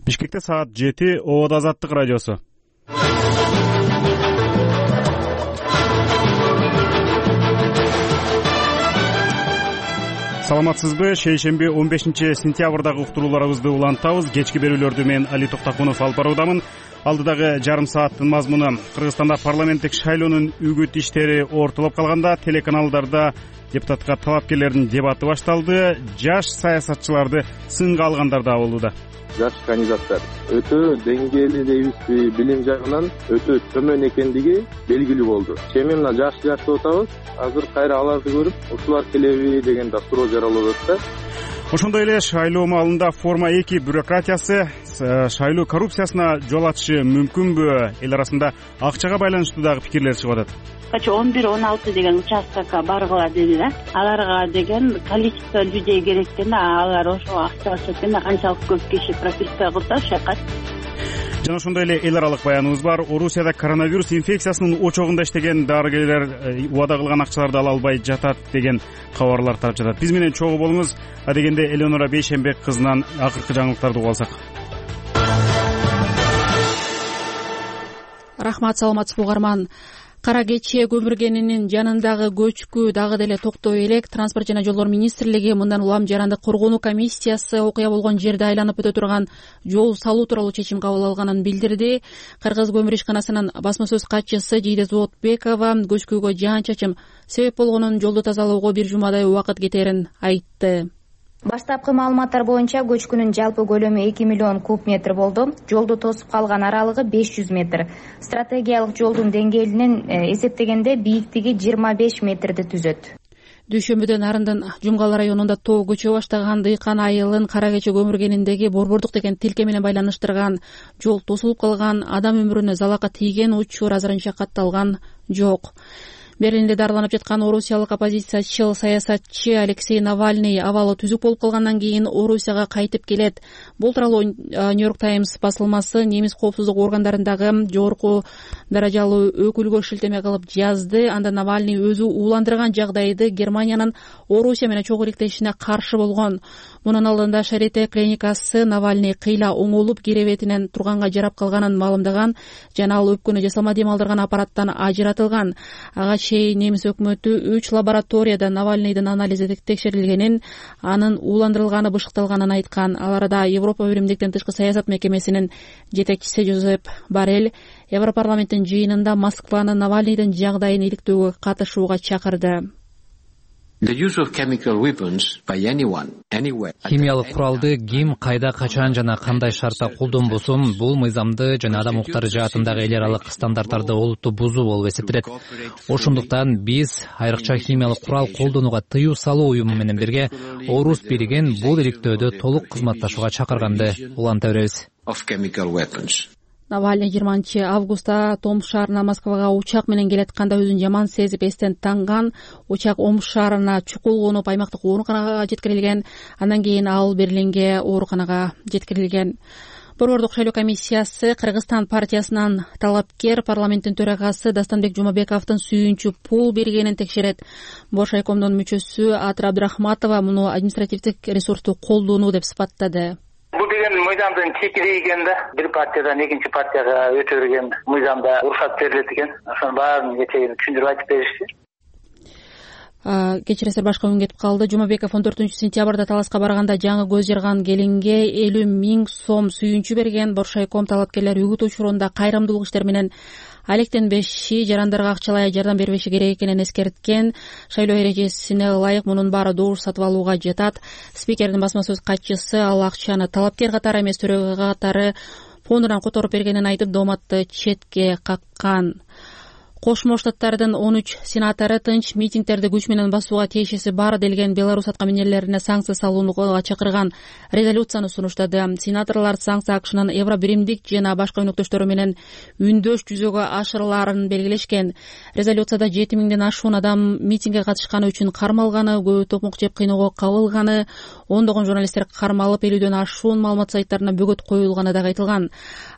Бишкекте саат 7. Обод Азаттык радиосу. Саламатсызбы? Шейшемби 15-сентябрдагы уктурууларыбызды улантабыз. Кечки берүүлөрдү мен Али Токтакунов алып баруудамын. Алдыдагы жарым сааттын мазмуну: Кыргызстанда парламенттик шайлоонун үгүт иштери ортолоп калганда депутаттарда депутатка талапкерлердин дебаты башталды. Жаш саясатчыларды сынга алгандар да болууда. Жаш кандидаттар өтө деңгээлүү дейбизби, билим жагынан өтө төмөн экендиги белгилүү болду. Эми мына жаш деп атабыз. Азыр кайра аларды көрүп, ушулар келеби деген да суроо жаралып атат. Ошондой эле шайлоо маалында форма 2 бюрократиясы шайлоо коррупциясына жол ачышы мүмкүнбү? Эл арасында акчага байланыштуу дагы пикирлер чыгып атат. 11-16 деген участкага баргыла деди да. Аларга деген количество людей керек экен да, алар ошо акча алышат экен да, канчалык көп киши прописка кылса ошол жака. Жана ошондой эле эл аралык баяныбыз бар. Орусияда коронавирус инфекциясынын очогунда иштеген дарыгерлер убада кылган акчаларды ала албай жатат деген кабарлар тарап жатат. Биз менен чогуу болуңуз. Адегенде Элеонора Бейшембек кызынан акыркы жаңылыктарды угуп алсак. Рахмат, саламатсызбы угарман. Кара кече көмүргенинин жанындагы көчкү дагы деле токтой элек. Транспорт жана жолдор министрлиги мындан улам жарандык коргонуу комиссиясы окуя болгон жерди айланып өтө турган жол салуу тууралуу чечим кабыл алганын билдирди. Кыргыз көмүр ишканасынын басма сөз катчысы Жийде Зоотбекова көчкүгө жаан чачым себеп болгонун, жолду тазалоого бир жумадай убакыт кетерин айтты. Баштапкы маалыматтар боюнча көчкүнүн жалпы көлөмү 2 миллион куб метр болду. Жолду тосуп калган аралыгы 500 метр. Стратегиялык жолдун деңгээлинен эсептегенде бийиктиги 25 метрди түзөт. Дүйшөмбүдө Нарындын Жумгал районунда тоо көчө баштаган дыйкан айылын кара кече көмүргениндеги борбордук деген тилке менен байланыштырган жол тосулуп калган, адам өмүрүнө залака тийген учур азырынча катталган жок. Берлинде дарыланып жаткан орусиялык оппозициячыл саясатчы Алексей Навальный абалы түзүк болуп калгандан кийин Орусияга кайтып келет. Бул тууралуу Нью-Йорк Таймс басылмасы немис коопсуздук органдарындагы жогорку даражалуу өкүлгө шилтеме кылып жазды. Анда Навальный өзү ууландырган жагдайды Германиянын Орусия менен чогуу иликтешине каршы болгон. Мунун алдында Шарите клиникасы Навальный кыйла оңолуп киребетинен турганга жарап калганын маалымдаган жана ал өпкөнү жасалма дем алдырган аппараттан ажыратылган. Ага чейин немис өкмөтү 3 лабораторияда Навальныйдын анализи текшерилгенин, анын ууландырылганы бышыкталганын айткан. Ал арада Европа биримдиктин тышкы саясат мекемесинин жетекчиси Жозеп Боррель Европарламенттин жыйынында Москваны Навальныйдын жагдайын иликтөөгө катышууга чакырды. Химиялык куралды ким, кайда, качан жана кандай шартта колдонбосун, бул мыйзамды жана адам укуктары жаатындагы эл аралык стандарттарды олуттуу бузуу болуп эсептелет. Ошондуктан биз айрыкча химиялык курал колдонууга тыюу салуу уюму менен бирге Орус бийлигин бул иликтөөдө толук кызматташууга чакырганды уланта беребиз. Навальный 20 августта Томск шаарына Москвага учак менен келатканда өзүн жаман сезип эстен танган. Учак Омск шаарына чукул конуп аймактык ооруканага жеткирилген. Андан кийин ал Берлинге ооруканага жеткирилген. Борбордук шайлоо комиссиясы Кыргызстан партиясынан талапкер парламенттин төрагасы Дастанбек Жумабековдун сүйүнчү пул бергенин текшерет. Боршайкомдун мүчөсү Атыр Абдрахматова муну административдик ресурсту колдонуу деп сыпаттады. Бул деген мыйзамдын чекири экен да. Бир партиядан экинчи партияга өтө берген мыйзамда уруксат берилет экен. Ошонун баарын кечээ түшүндүрүп айтып беришти. Кечиресиздер, башка үн кетип калды. Жумабеков 14-сентябрда Таласка барганда жаңы көз жарган келинге 50 000 сом сүйүнчү берген. Боршайком талапкерлер үгүт учурунда кайрымдуулук иштер менен алектенбеши, жарандарга акчалай жардам бербеши керек экенин эскерткен. Шайлоо эрежесине ылайык мунун баары добуш сатып алууга жатат. Спикердин басма сөз катчысы ал акчаны талапкер катары эмес, төрөгө катары фондунан которуп бергенин айтып, дооматты четке каккан. Кошмо Штаттардын 13 сенатору тынч митингдерди күч менен басууга тиешеси бар делген Беларусь аткаминерлерине санкция салууга чакырган резолюцияны сунуштады. Сенаторлор санкция акшынын Евро биримдик жана башка өнөктөштөрү менен үндөш жүзөгө ашырыларын белгилешкен. Резолюцияда 7000ден ашуун адам митингге катышканы үчүн кармалганы, көбү токмок жеп кыйноого кабылганы, ондогон журналисттер кармалып, 50ден ашуун маалымат сайттарына бөгөт коюлганы да айтылган.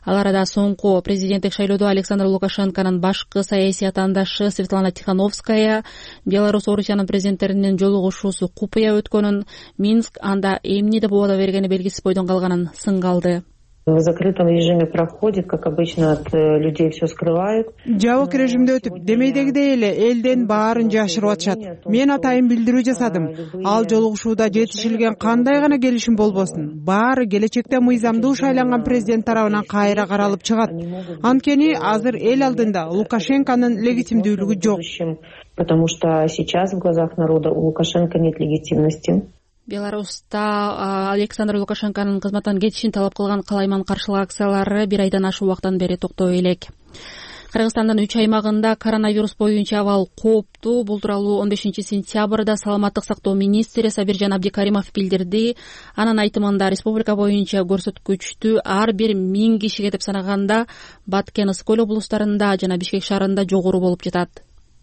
Ал арада соңку президенттик шайлоодо Александр Лукашенконун башкы саясий атаандашы Светлана Тихановская Беларусь Орусиянын президенттеринин жолугушуусу купуя өткөнүн, Минск анда эмне деп убада бергени белгисиз бойдон калганын сынга алды. В закрытом режиме проходит, как обычно, от людей все скрывают. Жабык режимде өтүп, демейдегидей эле элден баарын жашырып атышат. Мен атайын билдирүү жасадым. Ал жолугушууда жетишилген кандай гана келишим болбосун, баары келечекте мыйзамдуу шайланган президент тарабынан кайра каралып чыгат. Анткени азыр эл алдында Лукашенконун легитимдүүлүгү жок. Потому что сейчас в глазах народа у Лукашенко нет легитимности. Беларуста Александр Лукашенконун кызматтан кетишин талап кылган калайман каршылык акциялары бир айдан ашык убакыттан бери токтой элек. Кыргызстандын 3 аймагында коронавирус боюнча абал кооптуу. Бул тууралуу 15 сентябрда саламаттык сактоо министри Сабиржан Абдикаримов билдирди. Анын айтымында республика боюнча көрсөткүчтү ар бир 1000 кишиге деп санаганда Баткен, Ысык Көл облустарында жана Бишкек шаарында жогору болуп жатат.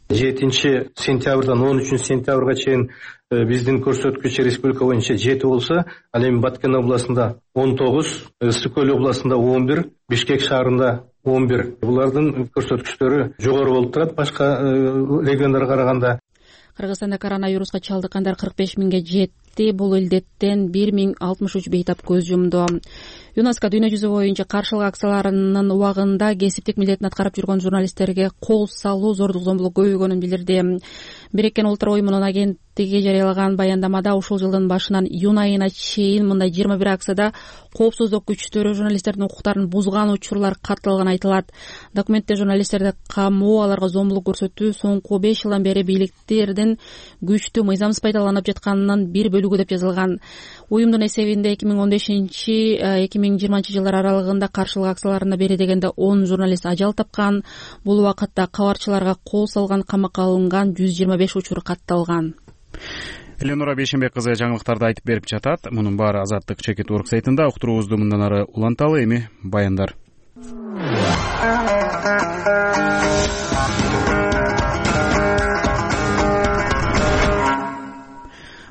7 сентябрдан 13 сентябрга чейин биздин көрсөткүч республика боюнча 7 болсо, ал эми Баткен областында 19, Ысык Көл областында 11, Бишкек шаарында 11. Булардын көрсөткүчтөрү жогору болуп турат башка региондорго караганда. Кыргызстанда коронавируска чалдыккандар 45 миңге жетти. Бул илдеттен 1063 бейтап көз жумду. ЮНЕСКО дүйнө жүзү боюнча каршылык акцияларынын убагында кесиптик милдетин аткарып жүргөн журналисттерге кол салуу, зордук зомбулук көбөйгөнүн билдирди. Бириккен Улуттар уюмунун агенттиги жарыялаган баяндамада ушул жылдын башынан июнь айына чейин мындай 21 акцияда коопсуздук күчтөрү журналисттердин укуктарын бузган учурлар катталганы айтылат. Документте журналисттерди камоо, аларга зомбулук көрсөтүү соңку 5 жылдан бери бийликтердин күчтү мыйзамсыз пайдаланып жатканынын бир бөлүгү деп жазылган. Уюмдун эсебинде 2015-2020 жылдар аралыгында каршылык акцияларына бери дегенде 10 журналист ажал тапкан. Бул убакытта кабарчыларга кол салган, камакка алынган 125 учур катталган. Эленора Бейшенбек кызы жаңылыктарды айтып берип жатат. Мунун баары Азаттык чекит урк сайтында. Уктуруубузду мындан ары уланталы. Эми баяндар.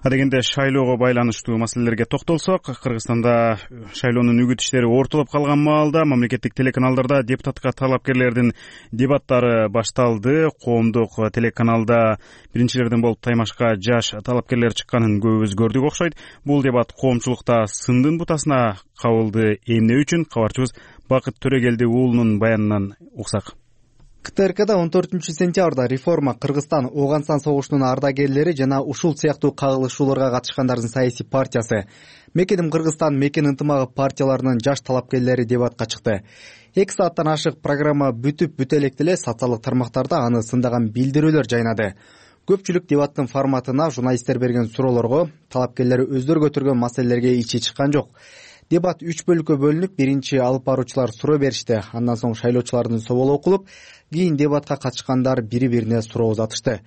Адегенде шайлоого байланыштуу маселелерге токтолсок, Кыргызстанда шайлоонун үгүт иштери ортолоп калган маалда мамлекеттик телеканалдарда депутатка талапкерлердин дебаттары башталды. Коомдук телеканалда биринчилерден болуп таймашка жаш талапкерлер чыкканын көбүбүз көрдүк окшойт. Бул дебат коомчулукта сындын бутасына кабылды. Эмне үчүн? Кабарчыбыз Бакыт Төрөгелди уулунун баянынан уксак. КТРКда 14 сентябрда реформа Кыргызстан Ооган-Сан согушунун ардагерлери жана ушул сыяктуу кагылышууларга катышкандардын саясий партиясы Мекеним Кыргызстан, Мекен ынтымагы партияларынын жаш талапкерлери дебатка чыкты. 2 сааттан ашык программа бүтүп электе эле социалдык тармактарда аны сындаган билдирүүлөр жайнады. Көпчүлүк дебаттын форматына, журналисттер берген суроолорго, талапкерлер өздөрү көтөргөн маселелерге ичи чыккан жок. Дебат 3 бөлүккө бөлүнүп, биринчи алып баруучулар суроо беришти. Андан соң шайлоочулардын соолу окулуп, кийин дебатка катышкандар бири-бирине суроо узатышты.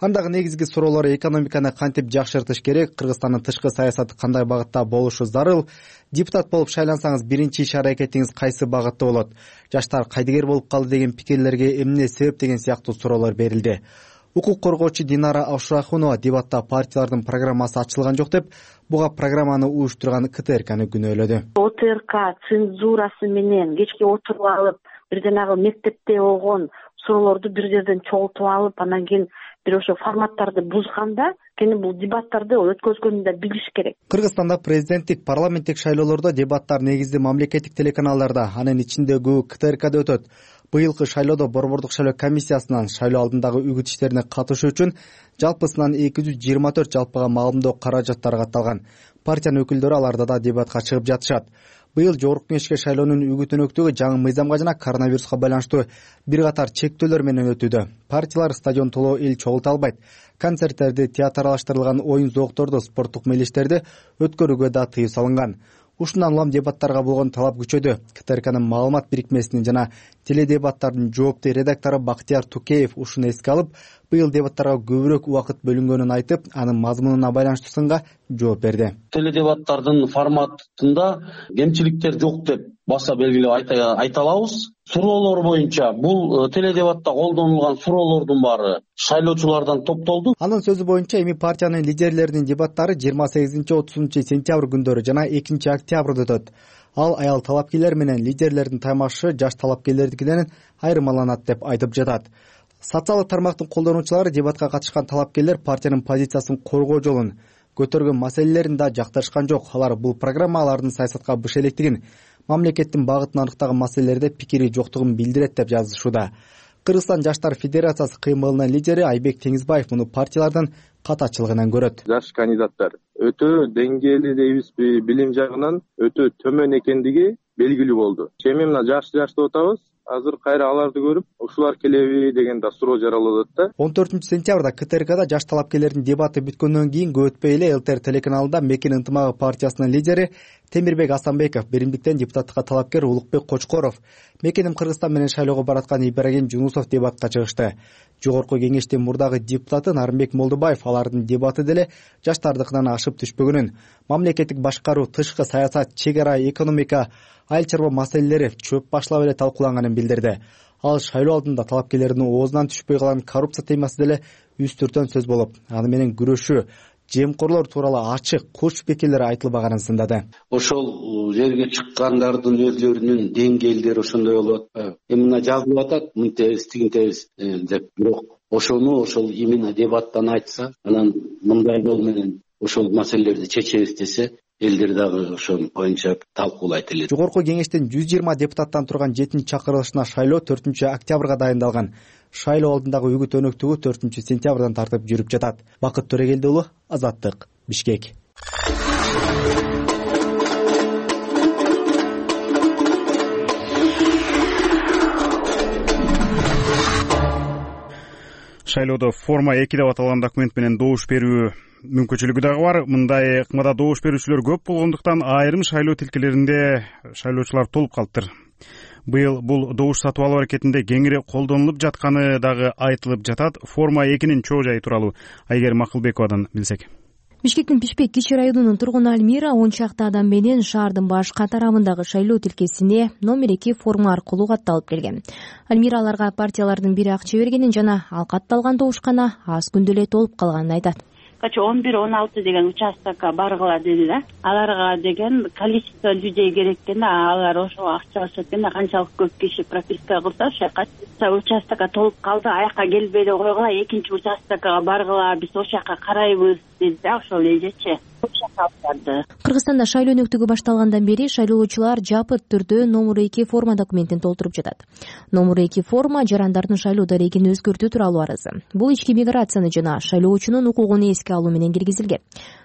Андагы негизги суроолор экономиканы кантип жакшыртыш керек, Кыргызстандын тышкы саясаты кандай багытта болушу зарыл, депутат болуп шайлансаңыз биринчи иш-аракетиңиз кайсы багытта болот, жаштар кайдыгер болуп калды деген пикирлерге эмне себеп деген сыяктуу суроолор берилди. Укук коргоочу Динара Абшурахунова дебатта партиялардын программасы ачылган жок деп, буга программаны уюштурган КТРКны күнөөлөдү. ОТРК цензурасы менен кечке отуруп алып, бир жанагы мектепте болгон суроолорду бир жерден чогултуп алып, анан кийин бир ошо форматтарды бузганда, кени бул дебаттарды өткөзгөнүн да билиш керек. Кыргызстанда президенттик, парламенттик шайлоолордо дебаттар негизги мамлекеттик телеканалдарда, анын ичинде көбү КТРКда өтөт. Быйылкы шайлоодо Борбордук шайлоо комиссиясынан шайлоо алдындагы үгүт иштерине катышуу үчүн жалпысынан 224 жалпыга маалымдоо каражаттары катталган. Партиянын өкүлдөрү аларда да дебатка чыгып жатышат. Быйыл жогорку кеңешке шайлоонун үгүт-өнөктүгү жаңы мыйзамга жана коронавируска байланыштуу бир катар чектөөлөр менен өтүүдө. Партиялар стадион толоо эл чогулта албайт. Концерттерди, театралаштырылган оюн зоокторду, спорттук мелиштерди өткөрүүгө да тыюу салынган. Ушундан улам дебаттарга болгон талап күчөдү. КТРКнын маалымат бирикмесинин жана теледебаттардын жоопту редактору Бактияр Тукеев ушуну эске алып, быйыл дебаттарга көбүрөөк убакыт бөлүнгөнүн айтып, анын мазмунуна байланыштуу сынга жооп берди. Теледебаттардын форматында кемчиликтер жок деп баса белгилеп айта алабыз. Суроолор боюнча бул теледебатта колдонулган суроолордун баары шайлоочулардан топтолду. Анын сөзү боюнча эми партиянын лидерлеринин дебаттары 28-30 сентябрь күндөрү жана 2 октябрда өтөт. Ал аял талапкерлер менен лидерлердин таймашы жаш талапкерлердикинен айырмаланат деп айтып жатат. Социалдык тармактын колдонуучулары дебатка катышкан талапкерлер партиянын позициясын коргоо жолун көтөргөн маселелерин да жактырышкан жок. Алар бул программа алардын саясатка быш электигин, мамлекеттин багытын аныктаган маселелерде пикири жоктугун билдирет деп жазышууда. Кыргызстан Жаштар Федерациясы кыймылынын лидери Айбек Теңизбаев муну партиялардын катачылыгынан көрөт. Жаш кандидаттар өтө деңгээлүү дейбизби, билим жагынан өтө төмөн экендиги белгилүү болду. Эми мына жашты атабыз. Азыр кайра аларды көрүп, ушулар келеби деген да суроо жаралып атат да. 14-сентябрда КТРКда жаш талапкерлердин дебаты бүткөндөн кийин көп өтпөй эле ЛТР телеканалында Мекен ынтымагы партиясынын лидери Темирбек Асанбеков, Беримдиктен депутаттыкка талапкер Улукбек Кочкоров, Мекеним Кыргызстан менен шайлоого бараткан Ибрагим Жунусов дебатка чыгышты. Жогорку кеңештин мурдагы депутаты Нарымбек Молдубаев алардын дебаты деле жаштардыкынан ашып түшпөгөнүн, мамлекеттик башкаруу, тышкы саясат, чек ара, экономика, айыл чарба маселелери чөп башлап эле талкууланганын билдирди. Ал шайлоо алдында талапкерлердин оозунан түшпөй калган коррупция темасы деле үстүртөн сөз болуп, аны менен күрөшүү, жемкорлор тууралуу ачык, куч пикирлер айтылбаганын сындады. Ошол жерге чыккандардын өздөрүнүн деңгээлдери ошондой болуп атпайбы? Мына жазылып атат, мынтебиз, тигинтебиз деп, бирок ошол именно дебаттан айтса, анан мындай жол менен ошол маселелерди чечебиз десе, элдер дагы ошол боюнча талкуулайт эле. Жогорку кеңештин 120 депутаттан турган 7-чакырылышына шайлоо 4-октябрга дайындалган. Шайлоо алдындагы үгүт өнөктүгү 4-сентябрдан тартып жүрүп жатат. Бакыт Төрегелди уулу, Азаттык, Бишкек. Шайлоодо форма 2 деп аталган документ менен добуш берүү мүмкүнчүлүгү дагы бар. Мындай ыкмада добуш берүүчүлөр көп болгондуктан айрым шайлоо тилкелеринде шайлоочулар толуп калыптыр. Быйыл бул добуш сатып алуу аракетинде кеңири колдонулуп жатканы дагы айтылып жатат. Форма 2-нин чоо жайы тууралуу Айгерим Акылбековадан билсек. Бишкектин Пишпек кичи районунун тургуну Альмира 10 чакты адам менен шаардын башка тарамындагы шайлоо тилкесине номер 2 форма аркылуу катталып келген. Альмира аларга партиялардын бири акча бергенин жана ал катталган добушкана аз күндө эле толуп калганын айтат. 11-16 деген участокко баргыла деди да. Аларга деген количество людей керек экен да, алар ошо акча алышат экен да, канчалык көп киши прописка кылса ошо кача участокко толуп калды, аяка келбей эле койгула, экинчи участокко баргыла, биз ошол жака карайбыз деди да, ошол эжечи. Кыргызстанда шайлоо өнөктүгү башталгандан бери шайлоочулар жапыт түрдө номер 2 форма документин толтуруп жатат. Номер 2 форма жарандардын шайлоо дарегин өзгөртүү тууралуу арызы. Бул ички миграцияны жана шайлоочунун укугун эске алуу менен киргизилген.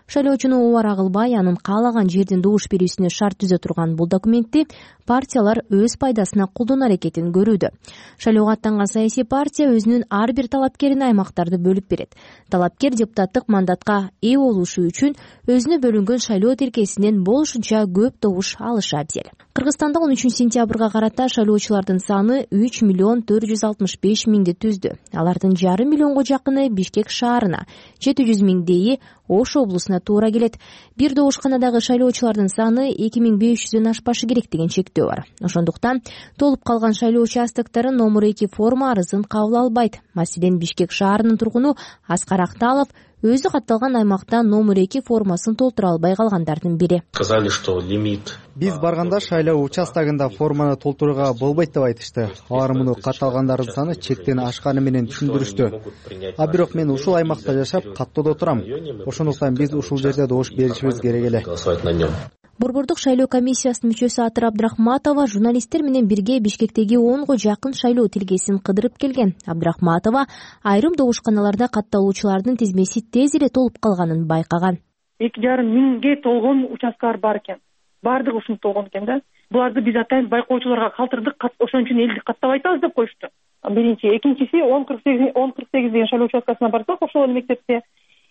Шайлоочуну убара кылбай, анын каалаган жердин добуш берүүсүнө шарт түзө турган бул документти партиялар өз пайдасына колдонуу аракетин көрүүдө. Шайлоого аттанган саясий партия өзүнүн ар бир талапкерине аймактарды бөлүп берет. Талапкер депутаттык мандатка ээ болушу үчүн өзүнө бөлүнгөн шайлоо тилкесинен болушунча көп добуш алышы абзел. Кыргызстанда 13-сентябрга карата шайлоочулардын саны 3,465,000 түздү. Алардын 5,5 миллионго жакыны Бишкек шаарына, 700,000 Ош облусуна туура келет. Бир добушканадагы шайлоочулардын саны 2500 ашпашы керек деген чектөө бар. Ошондуктан толуп калган шайлоо участоктору номер 2 форма арызын кабыл албайт. Маселен, Бишкек шаарынын тургуну Аскар Акталов өзү катталган аймакта номер 2 формасын толтура албай калгандардын бири. Сказали, что лимит. Биз барганда шайлоо участогунда форманы толтурууга болбойт деп айтышты. Алар муну катталгандардын саны чектен ашканы менен түшүндүрүштү. А бирок мен ушул аймакта жашап, каттоодо турам. Ошондуктан биз ушул жерде добуш беришибиз керек эле. Борбордук шайлоо комиссиясынын мүчөсү Атыр Абдрахматова журналисттер менен бирге Бишкектеги 10го жакын шайлоо тилкесин кыдырып келген. Абдрахматова айрым добушканаларда катталуучулардын тизмеси тез эле толуп калганын байкаган. 2,5 миңге толгон участкалар бар экен. Бардыгы ушунтип толгон экен да. Буларды биз атайын байкоочуларга калтырдык, ошон үчүн элди каттабай атабыз деп коюшту. Биринчи, экинчиси 1048 деген шайлоо участкасына барсак, ошол мектепте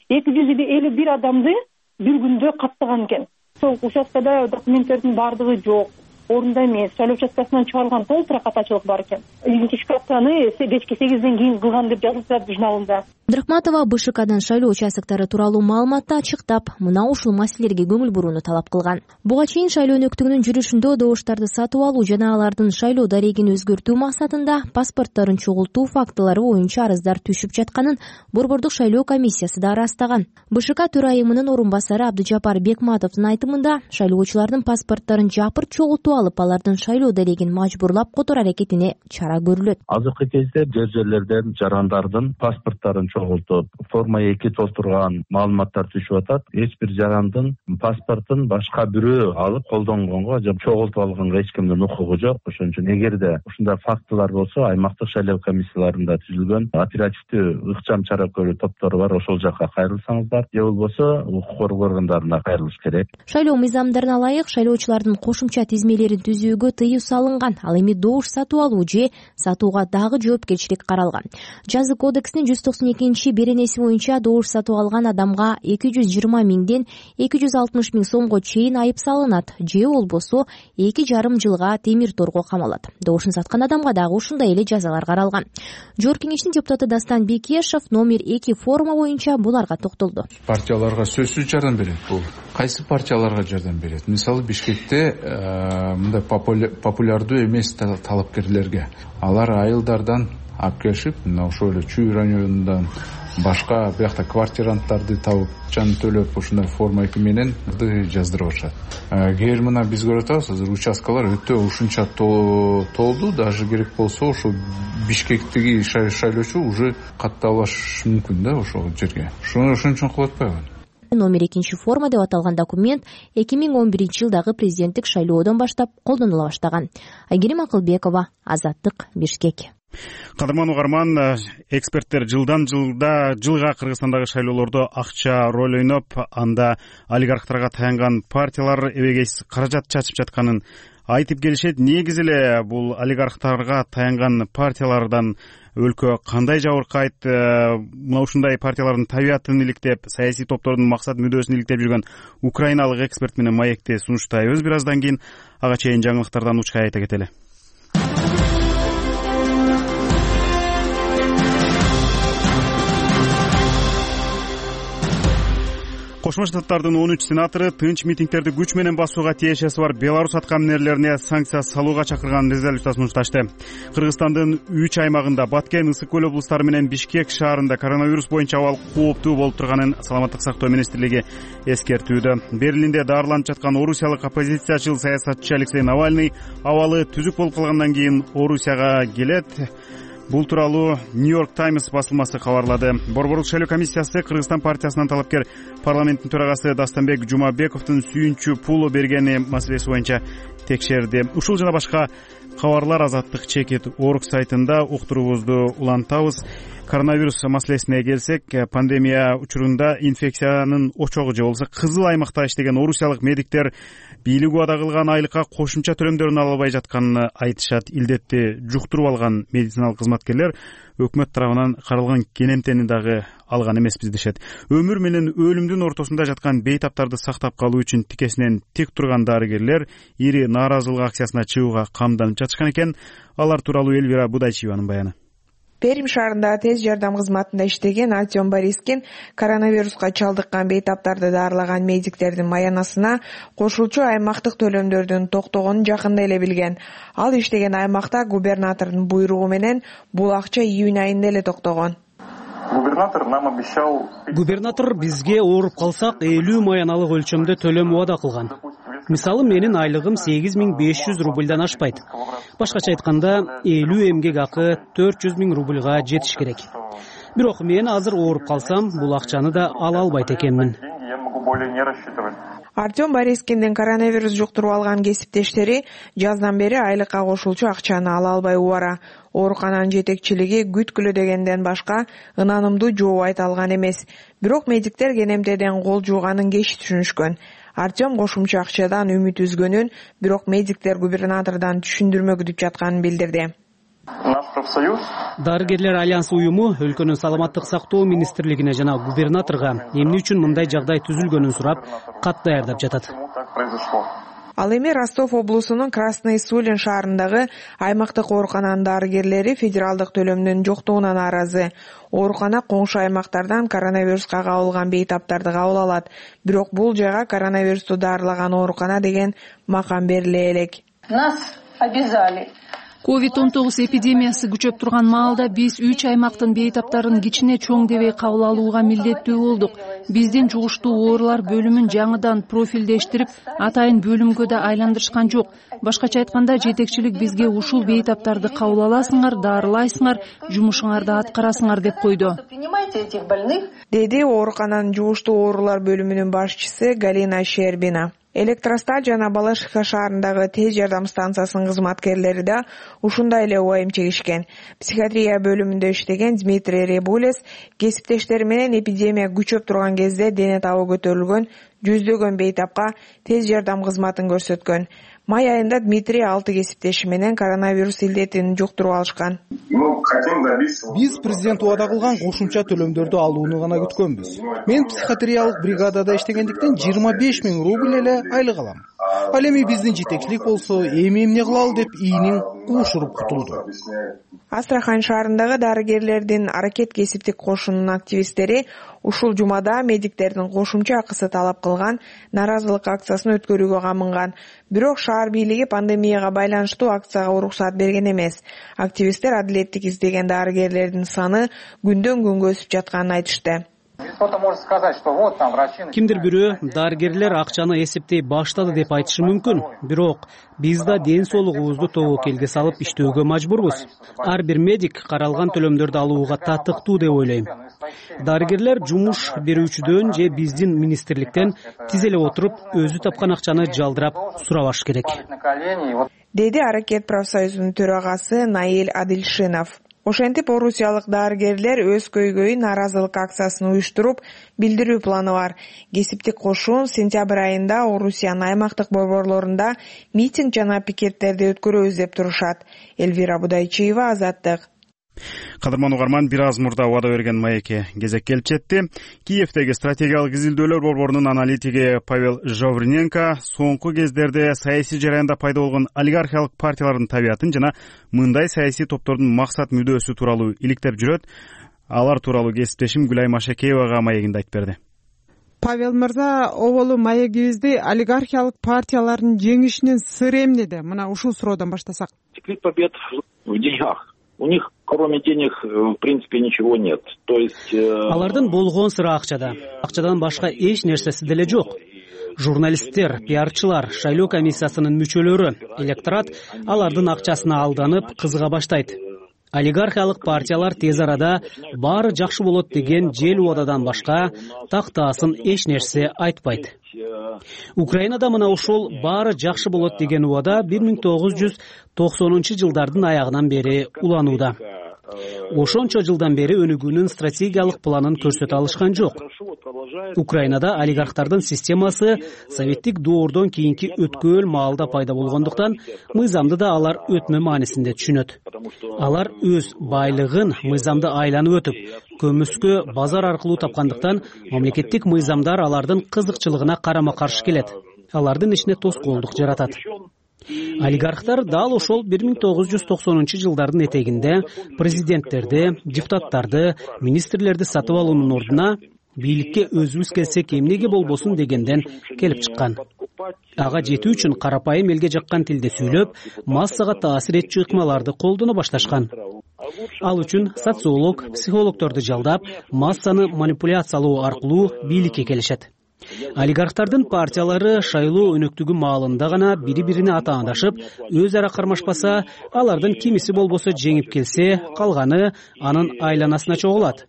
251 адамды бир күндө каттаган экен. Сол участкада документтердин бардыгы жок, орунда эмес, шайлоо участкасынан чыгарылган толтура катачылык бар экен. Идентификацияны кечки 8ден кийин кылган деп жазылат журналында. Абдрахматова БШКдан шайлоо участоктору тууралуу маалыматты ачыктап, мына ушул маселелерге көңүл бурууну талап кылган. Буга чейин шайлоо өнөктүгүнүн жүрүшүндө добуштарды сатып алуу жана алардын шайлоо дарегин өзгөртүү максатында паспортторун чогултуу фактылары боюнча арыздар түшүп жатканын Борбордук шайлоо комиссиясы да ырастаган. БШК төрайымынын орун басары Абдыжапар Бекматовдун айтымында, шайлоочулардын паспортторун жапырт чогултуп алып, алардын шайлоо дарегин мажбурлап которуу аракетине чара көрүлөт. Азыркы кезде жерлерден жарандардын паспорттарын чогултуп, форма 2 толтурган маалыматтар түшүп атат. Эч бир жарандын паспортун башка бирөө алып колдонгонго же чогултуп алганга эч кимдин укугу жок. Ошон үчүн эгерде ушундай фактылар болсо, аймактык шайлоо комиссияларында түзүлгөн оперативдүү ыкчам чара көрүү топтору бар, ошол жака кайрылсаңыздар, же болбосо укук коргоо органдарына кайрылыш керек. Шайлоо мыйзамдарына ылайык шайлоочулардын кошумча тизмелерин түзүүгө тыюу салынган. Ал эми добуш сатып алуу же сатууга дагы жоопкерчилик каралган. Жаза кодексинин 192 беренеси боюнча добуш сатып алган адамга 220 миңден 260 миң сомго чейин айып салынат, же болбосо 2,5 жылга темир торго камалат. Добушун саткан адамга дагы ушундай эле жазалар каралган. Жогорку кеңештин депутаты Дастан Бекешев номер 2 форума боюнча буларга токтолду. Партияларга сөзсүз жардам берет. Бул кайсы партияларга жардам берет? Мисалы Бишкекте мындай популярдуу эмес талапкерлерге алар айылдардан алып келишип, мына ошол эле Чүй районундан башка биякта квартиранттарды табып, жан төлөп, ушундай форма 2 менен жаздырып атышат. Кээ бир мына биз көрүп атабыз, азыр участкалар өтө ушунча толду, даже керек болсо ошо Бишкектеги шайлоочу уже катталышы мүмкүн да ошол жерге. Ошон үчүн кылып атпайбы? Номер 2 форма деп аталган документ 2011-жылдагы президенттик шайлоодон баштап колдонула баштаган. Айгерим Акылбекова, Азаттык, Бишкек. Кадырман угарман, эксперттер жылга Кыргызстандагы шайлоолордо акча роль ойноп, анда олигархтарга таянган партиялар эбегейсиз каражат чачып жатканын айтып келишет. Негизи эле бул олигархтарга таянган партиялардан өлкө кандай жабыркайт? Мына ушундай партиялардын табиятын иликтеп, саясий топтордун максат мүдөөсүн иликтеп жүргөн украиналык эксперт менен маекти сунуштайбыз. Бир аздан кийин ага чейин жаңылыктардан учкай айта кетели. Кошмо Штаттардын 13 сенатору тынч митингдерди күч менен басууга тиешеси бар Беларусь аткаминерлерине санкция салууга чакырган резолюция сунушташты. Кыргызстандын 3 аймагында Баткен, Ысык көл облустары менен Бишкек шаарында коронавирус боюнча абал кооптуу болуп турганын Саламаттык сактоо министрлиги эскертүүдө. Берлинде даарыланып жаткан орусиялык оппозициячыл саясатчы Алексей Навальный абалы түзүк болуп калгандан кийин Орусияга келет. Бул тууралуу Нью-Йорк Таймс басылмасы кабарлады. Борборлук шайлоо комиссиясы Кыргызстан партиясынын талапкер парламенттин төрагасы Дастанбек Жумабековдун сүйүнчү пулу бергени маселеси боюнча текшерди. Ушул жана башка кабарлар Азаттык чекит орг сайтында уктуруубузду улантабыз. Коронавирус маселесине келсек, пандемия учурунда инфекциянын очогу же болбосо кызыл аймакта иштеген орусиялык медиктер бийлик убада кылган айлыкка кошумча төлөмдөрүн ала албай жатканын айтышат. Илдетти жуктуруп алган медициналык кызматкерлер өкмөт тарабынан каралган кенемтени дагы алган эмеспиз дешет. Өмүр менен өлүмдүн ортосунда жаткан бейтаптарды сактап калуу үчүн тикесинен тик турган дарыгерлер ири нааразылык акциясына чыгууга камданып жатышкан экен. Алар тууралуу Элвира Будайчиеванын баяны. Пермь шаарында тез жардам кызматында иштеген Артем Борискин коронавируска чалдыккан бейтаптарды даарылаган медиктердин маянасына кошулчу аймактык төлөмдөрдүн токтогонун жакында эле билген. Ал иштеген аймакта губернатордун буйругу менен бул акча июнь айында эле токтогон. Губернатор бизге ооруп калсак 50 маяналык өлчөмдө төлөм убада кылган. Мисалы менин айлыгым 8500 рубльдан ашпайт. Башкача айтканда 50 эмгек акы 400 миң рубльга жетиш керек. Бирок мен азыр ооруп калсам, бул акчаны да ала албайт экенмин. Артем Борискиндин коронавирус жуктуруп алган кесиптештери жаздан бери айлыкка кошулчу акчаны ала албай убара. Оорукананын жетекчилиги күткүлө дегенден башка ынанымдуу жооп айта алган эмес. Бирок медиктер кенемтеден кол жууганын кеч түшүнүшкөн. Артем кошумча акчадан үмүт үзгөнүн, бирок медиктер губернатордон түшүндүрмө күтүп жатканын билдирди. Дарыгерлер альянсы уюму өлкөнүн саламаттык сактоо министрлигине жана губернаторго эмне үчүн мындай жагдай түзүлгөнүн сурап, кат даярдап жатат. Ал эми Ростов облусунун Красный Сулин шаарындагы аймактык оорукананын дарыгерлери федералдык төлөмдүн жоктугуна нааразы. Оорукана коңшу аймактардан коронавируска кабылган бейтаптарды кабыл алат. Бирок бул жайга коронавирусту даарылаган оорукана деген макам бериле элек. Нас обязали COVID-19 эпидемиясы күчөп турган маалда биз 3 аймактын бейтаптарын кичине чоң дебей кабыл алууга милдеттүү болдук. Биздин жугуштуу оорулар бөлүмүн жаңыдан профилдештирип, атайын бөлүмгө да айландырышкан жок. Башкача айтканда, жетекчилик бизге ушул бейтаптарды кабыл аласыңар, дарылайсыңар, жумушуңарды аткарасыңар деп койду, деди оорукананын жугуштуу оорулар бөлүмүнүн башчысы Галина Щербина. Электростат жана Балашиха шаарындагы тез жардам станциясынын кызматкерлери да ушундай эле убайым чегишкен. Психиатрия бөлүмүндө иштеген Дмитрий Ребулес кесиптештери менен эпидемия күчөп турган кезде дене табы көтөрүлгөн жүздөгөн бейтапка тез жардам кызматын көрсөткөн. Май айында Дмитрий 6 кесиптеши менен коронавирус илдетин жуктуруп алышкан. Биз президент убада кылган кошумча төлөмдөрдү алууну гана күткөнбүз. Мен психиатриялык бригадада иштегендиктен 25 000 рубль эле айлык алам. Ал эми биздин жетекчилик болсо, эми эмне кылалы деп ийинин уушуруп кутулду. Астрахань шаарындагы дарыгерлердин аракет кесиптик кошунунун активисттери ушул жумада медиктердин кошумча акысы талап кылган наразылык акциясын өткөрүүгө камынган. Бирок шаар бийлиги пандемияга байланыштуу акцияга уруксат берген эмес. Активисттер адилеттик издеген дарыгерлердин саны күндөн күнгө өсүп жатканын айтышты. Кимдир бирөө дарыгерлер акчаны эсептей баштады деп айтышы мүмкүн. Бирок биз да ден соолугубузду тобокелге салып иштөөгө мажбурбуз. Ар бир медик каралган төлөмдөрдү алууга татыктуу деп ойлойм. Дарыгерлер жумуш берүүчүдөн же биздин министрликтен тиз эле отуруп, өзү тапкан акчаны жалдырап сурабаш керек, деди Аракет профсоюзунун төрагасы Наиль Адилшинов. Ошентип, орусиялык дарыгерлер өз көйгөйүн наразылык акциясын уюштуруп, билдирүү планы бар. Кесиптик кошун сентябрь айында Орусиянын аймактык борборлорунда митинг жана пикеттерди өткөрөбүз деп турушат. Элвира Будайчиева, Азаттык. Кадырман угарман, бир аз мурда убада берген маекке кезек келип жетти. Киевдеги стратегиялык изилдөөлөр борборунун аналитиги Павел Жовриненко соңку кездерде саясий жараянда пайда болгон олигархиялык партиялардын табиятын жана мындай саясий топтордун максат мүдөөсү тууралуу иликтеп жүрөт. Алар тууралуу кесиптешим Гүлай Машакеевага маегинде айтып берди. Павел мырза, оболу маегибизди олигархиялык партиялардын жеңишинин сыры эмнеде? Мына ушул суроодон баштасак. Секрет побед в деньгах. У них, кроме денег, в принципе, ничего нет. То есть... Алардын болгон сыры акчада. Акчадан башка эч нерсеси деле жок. Журналисттер, пиарчылар, шайлоо комиссиясынын мүчөлөрү, электорат алардын акчасына алданып, кызыга баштайт. Олигархиялык партиялар тез арада баары жакшы болот деген жел убададан башка тактаасын эч нерсе айтпайт. Украинада мына ушул баары жакшы болот деген убада 1990-жылдардын аягынан бери уланууда. Ошончо жылдан бери өнүгүүнүн стратегиялык планын көрсөтө алышкан жок. Украинада олигархтардын системасы советтик доордон кийинки өткөөл маалда пайда болгондуктан мыйзамды да алар өтмө маанисинде түшүнөт. Алар өз байлыгын мыйзамды айланып өтүп, көмүскө базар аркылуу тапкандыктан мамлекеттик мыйзамдар алардын кызыкчылыгына карама каршы келет. Алардын ишине тоскоолдук жаратат. Олигархтар дал ошол 1990-жылдардын этегинде президенттерди, депутаттарды, министрлерди сатып алуунун ордуна бийликке өзүбүз келсек эмнеге болбосун дегенден келип чыккан. Ага жетүү үчүн карапайым элге жаккан тилде сүйлөп, массага таасир этчү ыкмаларды колдоно башташкан. Ал үчүн социолог, психологдорду жалдап, массаны манипуляциялоо аркылуу бийликке келишет. Олигархтардын партиялары шайлоо өнөктүгү маалында гана бири-бирине атаандашып, өз ара кармашпаса, алардын кимиси болбосо жеңип келсе, калганы анын айланасына чогулат.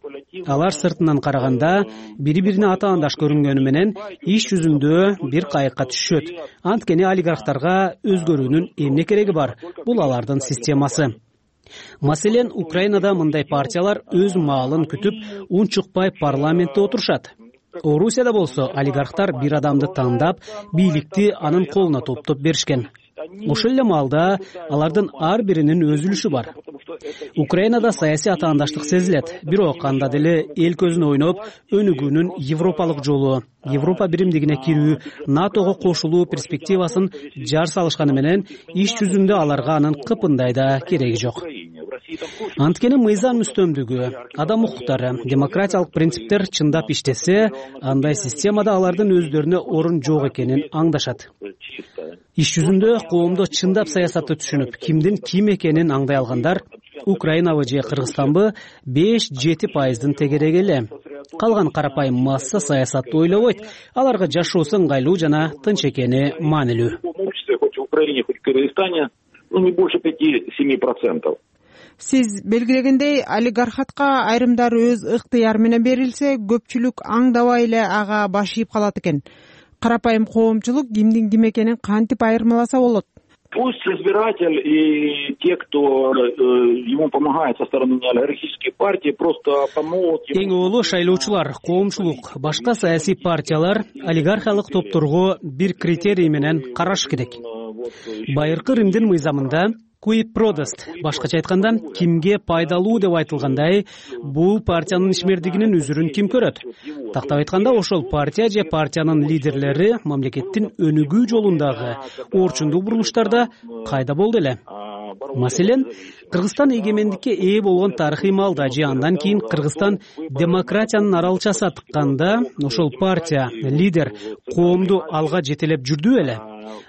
Алар сыртынан караганда бири-бирине атаандаш көрүнгөнү менен иш жүзүндө бир кайыкка түшөт. Анткени олигархтарга өзгөрүүнүн эмне кереги бар? Бул алардын системасы. Маселен, Украинада мындай партиялар өз маалын күтүп, унчукпай парламентте отурушат. Орусияда болсо олигархтар бир адамды тандап, бийликти анын колуна топтоп беришкен. Ошол эле маалда алардын ар биринин өз үлүшү бар. Украинада саясий атаандаштык сезилет, бирок анда деле эл көзүн ойноп, өнүгүүнүн европалык жолу, Европа биримдигине кирүү, НАТОго кошулуу перспективасын жар салышканы менен иш жүзүндө аларга анын кыпындай да кереги жок. Анткени мыйзам үстөмдүгү, адам укуктары, демократиялык принциптер чындап иштесе, андай системада алардын өздөрүнө орун жок экенин аңдашат. иш жүзүндө коомдо чындап саясатты түшүнүп, кимдин ким экенин аңдай алгандар Украинабы же Кыргызстанбы 5-7% тегереги эле. Калган карапайым масса саясатты ойлобойт. Аларга жашоосу ыңгайлуу жана тынч экени маанилүү. Хоть в Украине, хоть в Кыргызстане, не больше 5-7%. Сиз белгилегендей, олигархатка айрымдары өз ыктыяры менен берилсе, көпчүлүк аңдабай эле ага баш ийип калат экен. Карапайым коомчулук кимдин ким экенин кантип айырмаласа болот? Пусть избиратель и те, кто ему помогает со стороны олигархической партии, просто помогут. Эң олуу шайлоочулар, коомчулук, башка саясий партиялар олигархиялык топторго бир критерий менен караш керек. Байыркы Римдин мыйзамында qui prodest, башкача айтканда, кимге пайдалуу деп айтылгандай, бул партиянын ишмердигинин үзүрүн ким көрөт? Тактап айтканда, ошол партия же партиянын лидерлери мамлекеттин өнүгүү жолундагы орчундуу бурулуштарда кайда болду эле? Маселен, Кыргызстан эгемендикке ээ болгон тарыхый маалда же андан кийин Кыргызстан демократиянын аралчасы тыкканда, ошол партия, лидер коомду алга жетелеп жүрдү эле.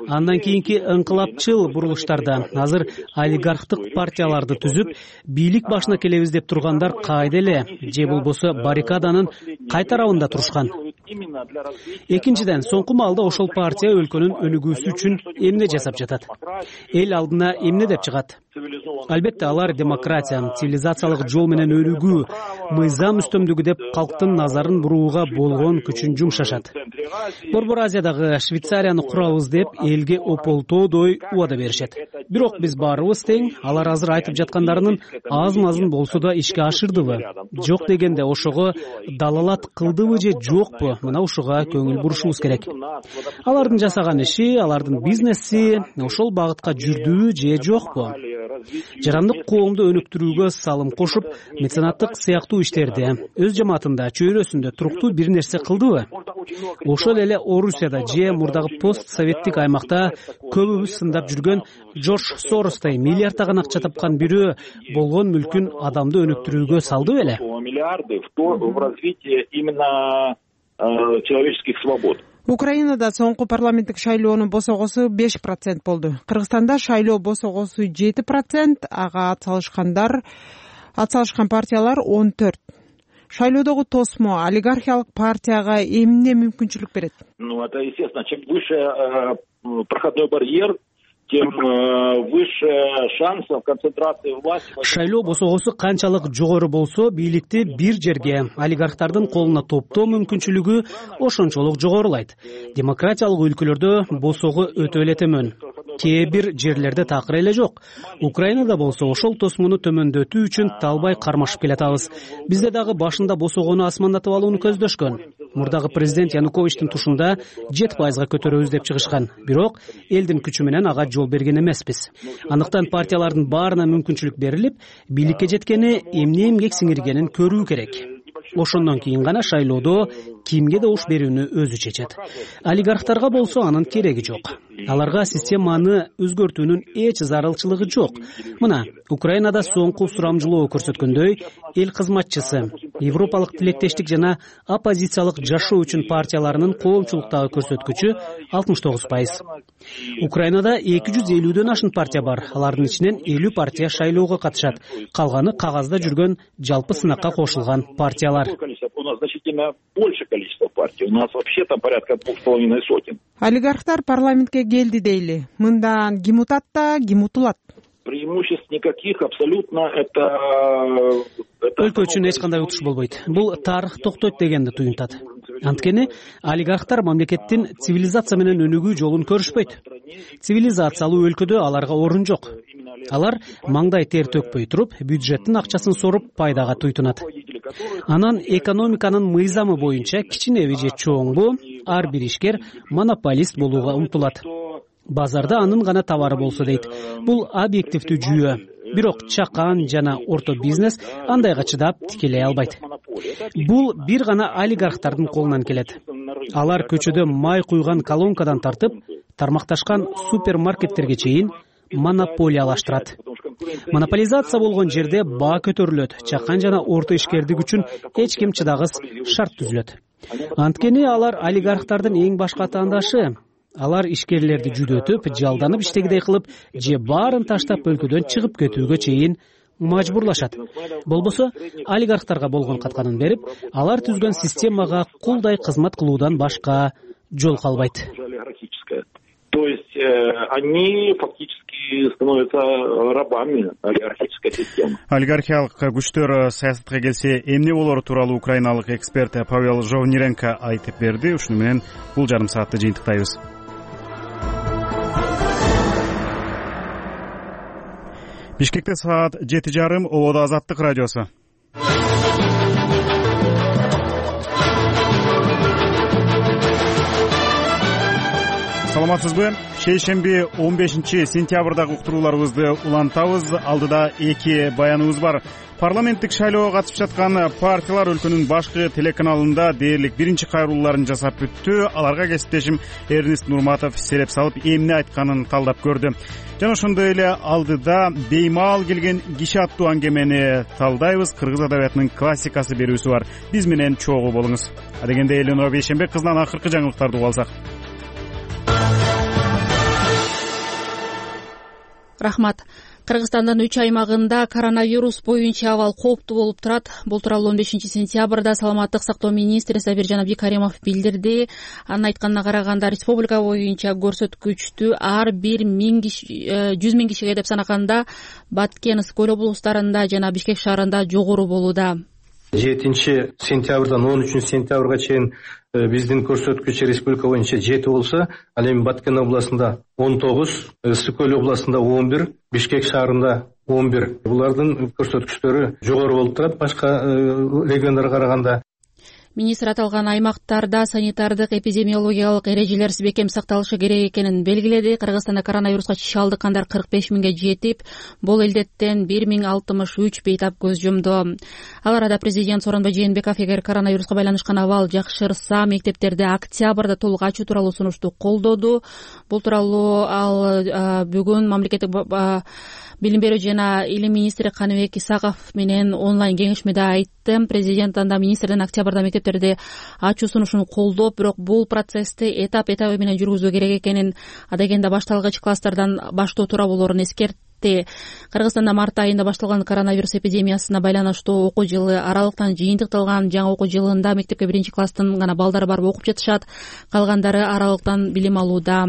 Андан кийинки ыңкылапчыл бурулуштарда азыр олигархтык партияларды түзүп, бийлик башына келебиз деп тургандар кайда эле, же болбосо баррикаданын кай тарабында турушкан? Экинчиден, соңку маалда ошол партия өлкөнүн өнүгүүсү үчүн эмне жасап жатат? Эл алдына эмне деп чыгат? Албетте, алар демократия, цивилизациялык жол менен өнүгүү, мыйзам үстөмдүгү деп калктын назарын бурууга болгон күчүн жумшашат. Борбор Азиядагы Швейцарияны курабыз деп элге ополтоодой убада беришет. Бирок биз баарыбыз тең, алар азыр айтып жаткандарынын аз-мазын болсо да ишке ашырдыбы? Жок дегенде ошого далалат кылдыбы же жокпу? Мына ушуга көңүл бурушубуз керек. Алардын жасаган иши, алардын бизнеси ошол багытка жүрдүбү же жокпу? Жарандык коомду өнүктүрүүгө салым кошуп, меценаттык сыяктуу иштерде, өз жамаатында, чөйрөсүндө туруктуу бир нерсе кылдыбы? Ошол эле Орусияда же мурдагы постсоветтик аймакта көбүбүз сындап жүргөн Джордж Соростой миллиардтаган акча тапкан бирөө болгон мүлкүн адамды өнүктүрүүгө салды беле? Миллиарды в развитие именно человеческих свобод. Украинада соңку парламенттик шайлоонун босогосу 5% болду. Кыргызстанда шайлоо босогосу 7%, ага атсалышкан партиялар 14. Шайлоодогу тосмо олигархиялык партияга эмне мүмкүнчүлүк берет? Это естественно, чем выше проходной барьер, тем выше шансов концентрации власти. Шайлоо босогосу канчалык жогору болсо, бийликти бир жерге олигархтардын колуна топтоо мүмкүнчүлүгү ошончолук жогорулайт. Демократиялык өлкөлөрдө босогу өтө эле төмөн. Кээ бир жерлерде такыр эле жок. Украинада болсо ошол тосмуну төмөндөтүү үчүн талбай кармашып келатабыз. Бизде дагы башында босогону асмандатып алууну көздөшкөн. Мурдагы президент Януковичтин тушунда 7%га көтөрөбүз деп чыгышкан. Бирок элдин күчү менен ага жол берген эмеспиз. Андыктан партиялардын баарына мүмкүнчүлүк берилип, бийликке жеткени эмне эмгек сиңиргенин көрүү керек. Ошондон кийин гана шайлоодо кимге добуш берүүнү өзү чечет. Олигархтарга болсо анын кереги жок. Аларга системаны өзгөртүүнүн эч зарылчылыгы жок. Мына, Украинада соңку сурамжылоо көрсөткөндөй, эл кызматчысы, Европалык тилектештик жана оппозициялык жашоо үчүн партияларынын коомчулуктагы көрсөткүчү 69%. Украинада 250дөн ашын партия бар. Алардын ичинен 50 партия шайлоого катышат. Калганы кагазда жүргөн жалпы сынакка кошулган партиялар. У нас значительно больше количество партий. У нас вообще там порядка 2,5 сотен. Олигархтар парламентке келди дейли. Мындан ким утат да, ким утулат? Преимуществ никаких, абсолютно это... Өлкө үчүн эч кандай утуш болбойт. Бул тарых токтойт дегенди туюнтат. Анткени олигархтар мамлекеттин цивилизация менен өнүгүү жолун көрүшпөйт. Цивилизациялуу өлкөдө аларга орун жок. Алар маңдай тер төкпөй туруп, бюджеттин акчасын соруп пайдага туйтунат. Анан экономиканын мыйзамы боюнча кичинеби же чоңбу ар бир ишкер монополист болууга умтулат. Базарда анын гана товары болсо дейт. Бул объективдүү жүйө. Бирок чакан жана орто бизнес андайга чыдап тикелей албайт. Бул бир гана олигархтардын колунан келет. Алар көчөдө май куйган колонкадан тартып, тармакташкан супермаркеттерге чейин монополиялаштырат. Монополизация болгон жерде баа көтөрүлөт, чакан жана орто ишкердик үчүн эч ким чыдагыс шарт түзүлөт. Анткени алар олигархтардын эң башка атаандашы. алар ишкерлерди жүдөтүп, жалданып иштегидей кылып же баарын таштап өлкөдөн чыгып кетүүгө чейин мажбурлашат. Болбосо олигархтарга болгон катканын берип, алар түзгөн системага кулдай кызмат кылуудан башка жол калбайт. То есть они фактически становятся рабами олигархической системы. Олигархиялык күчтөр саясатка келсе эмне болору тууралуу украиналык эксперт Павел Жовниренко айтып берди. Ушуну менен бул жарым саатты жыйынтыктайбыз. Бишкекте саат 7:30, ободо Азаттык радиосу. Саламатсызбы? Шейшемби 15-сентябрдагы уктурууларыбызды улантабыз. Алдыда эки баяныбыз бар. Парламенттик шайлоого катышып жаткан партиялар өлкөнүн башкы телеканалында дээрлик биринчи кайрылууларын жасап бүттү. Аларга кесиптешим Эрнест Нурматов селеп салып, эмне айтканын талдап көрдү. Жана ошондой эле алдыда беймаал келген киши аттуу аңгемени талдайбыз. Кыргыз адабиятынын классикасы берүүсү бар. Биз менен чогуу болуңуз. Адегенде Эленора Бейшембек кызынан акыркы жаңылыктарды угуп алсак. Рахмат. Кыргызстандын 3 аймагында коронавирус боюнча абал кооптуу болуп турат. Бул тууралуу 15-сентябрда саламаттык сактоо министри Сабиржан Абдикаримов билдирди. Анын айтканына караганда республика боюнча көрсөткүчтү ар бир 100 миң кишиге деп санаганда Баткен, Скөл облустарында жана Бишкек шаарында жогору болууда. 7-сентябрдан 13-сентябрга чейин биздин көрсөткүч республика боюнча 7 болсо, ал эми Баткен областында 19, Скөл областында 11, Бишкек шаарында 11. Булардын көрсөткүчтөрү жогору болуп турат башка региондорго караганда. Министр аталган аймактарда санитардык эпидемиологиялык эрежелер бекем сакталышы керек экенин белгиледи. Кыргызстанда коронавируска чалдыккандар 45 миңге жетип, бул илдеттен 1063 бейтап көз жумду. Ал арада президент Сооронбай Жээнбеков эгер коронавируска байланышкан абал жакшырса, мектептерде октябрда толук ачуу тууралуу сунушту колдоду. Бул тууралуу ал бүгүн мамлекеттик билим берүү жана илим министри Каныбек Исаков менен онлайн кеңешмеде айтты. Президент анда министрдин октябрда мектептерде ачуу сунушун колдоп, бирок бул процессти этап менен жүргүзүү керек экенин, адегенде башталгыч класстардан баштоо тууралуулорун эскертти. Кыргызстанда март айында башталган коронавирус эпидемиясына байланыштуу окуу жылы аралыктан жыйынтыкталган. Жаңы окуу жылында мектепке 1-класстын гана балдары барып окуп жатышат, калгандары аралыктан билим алууда.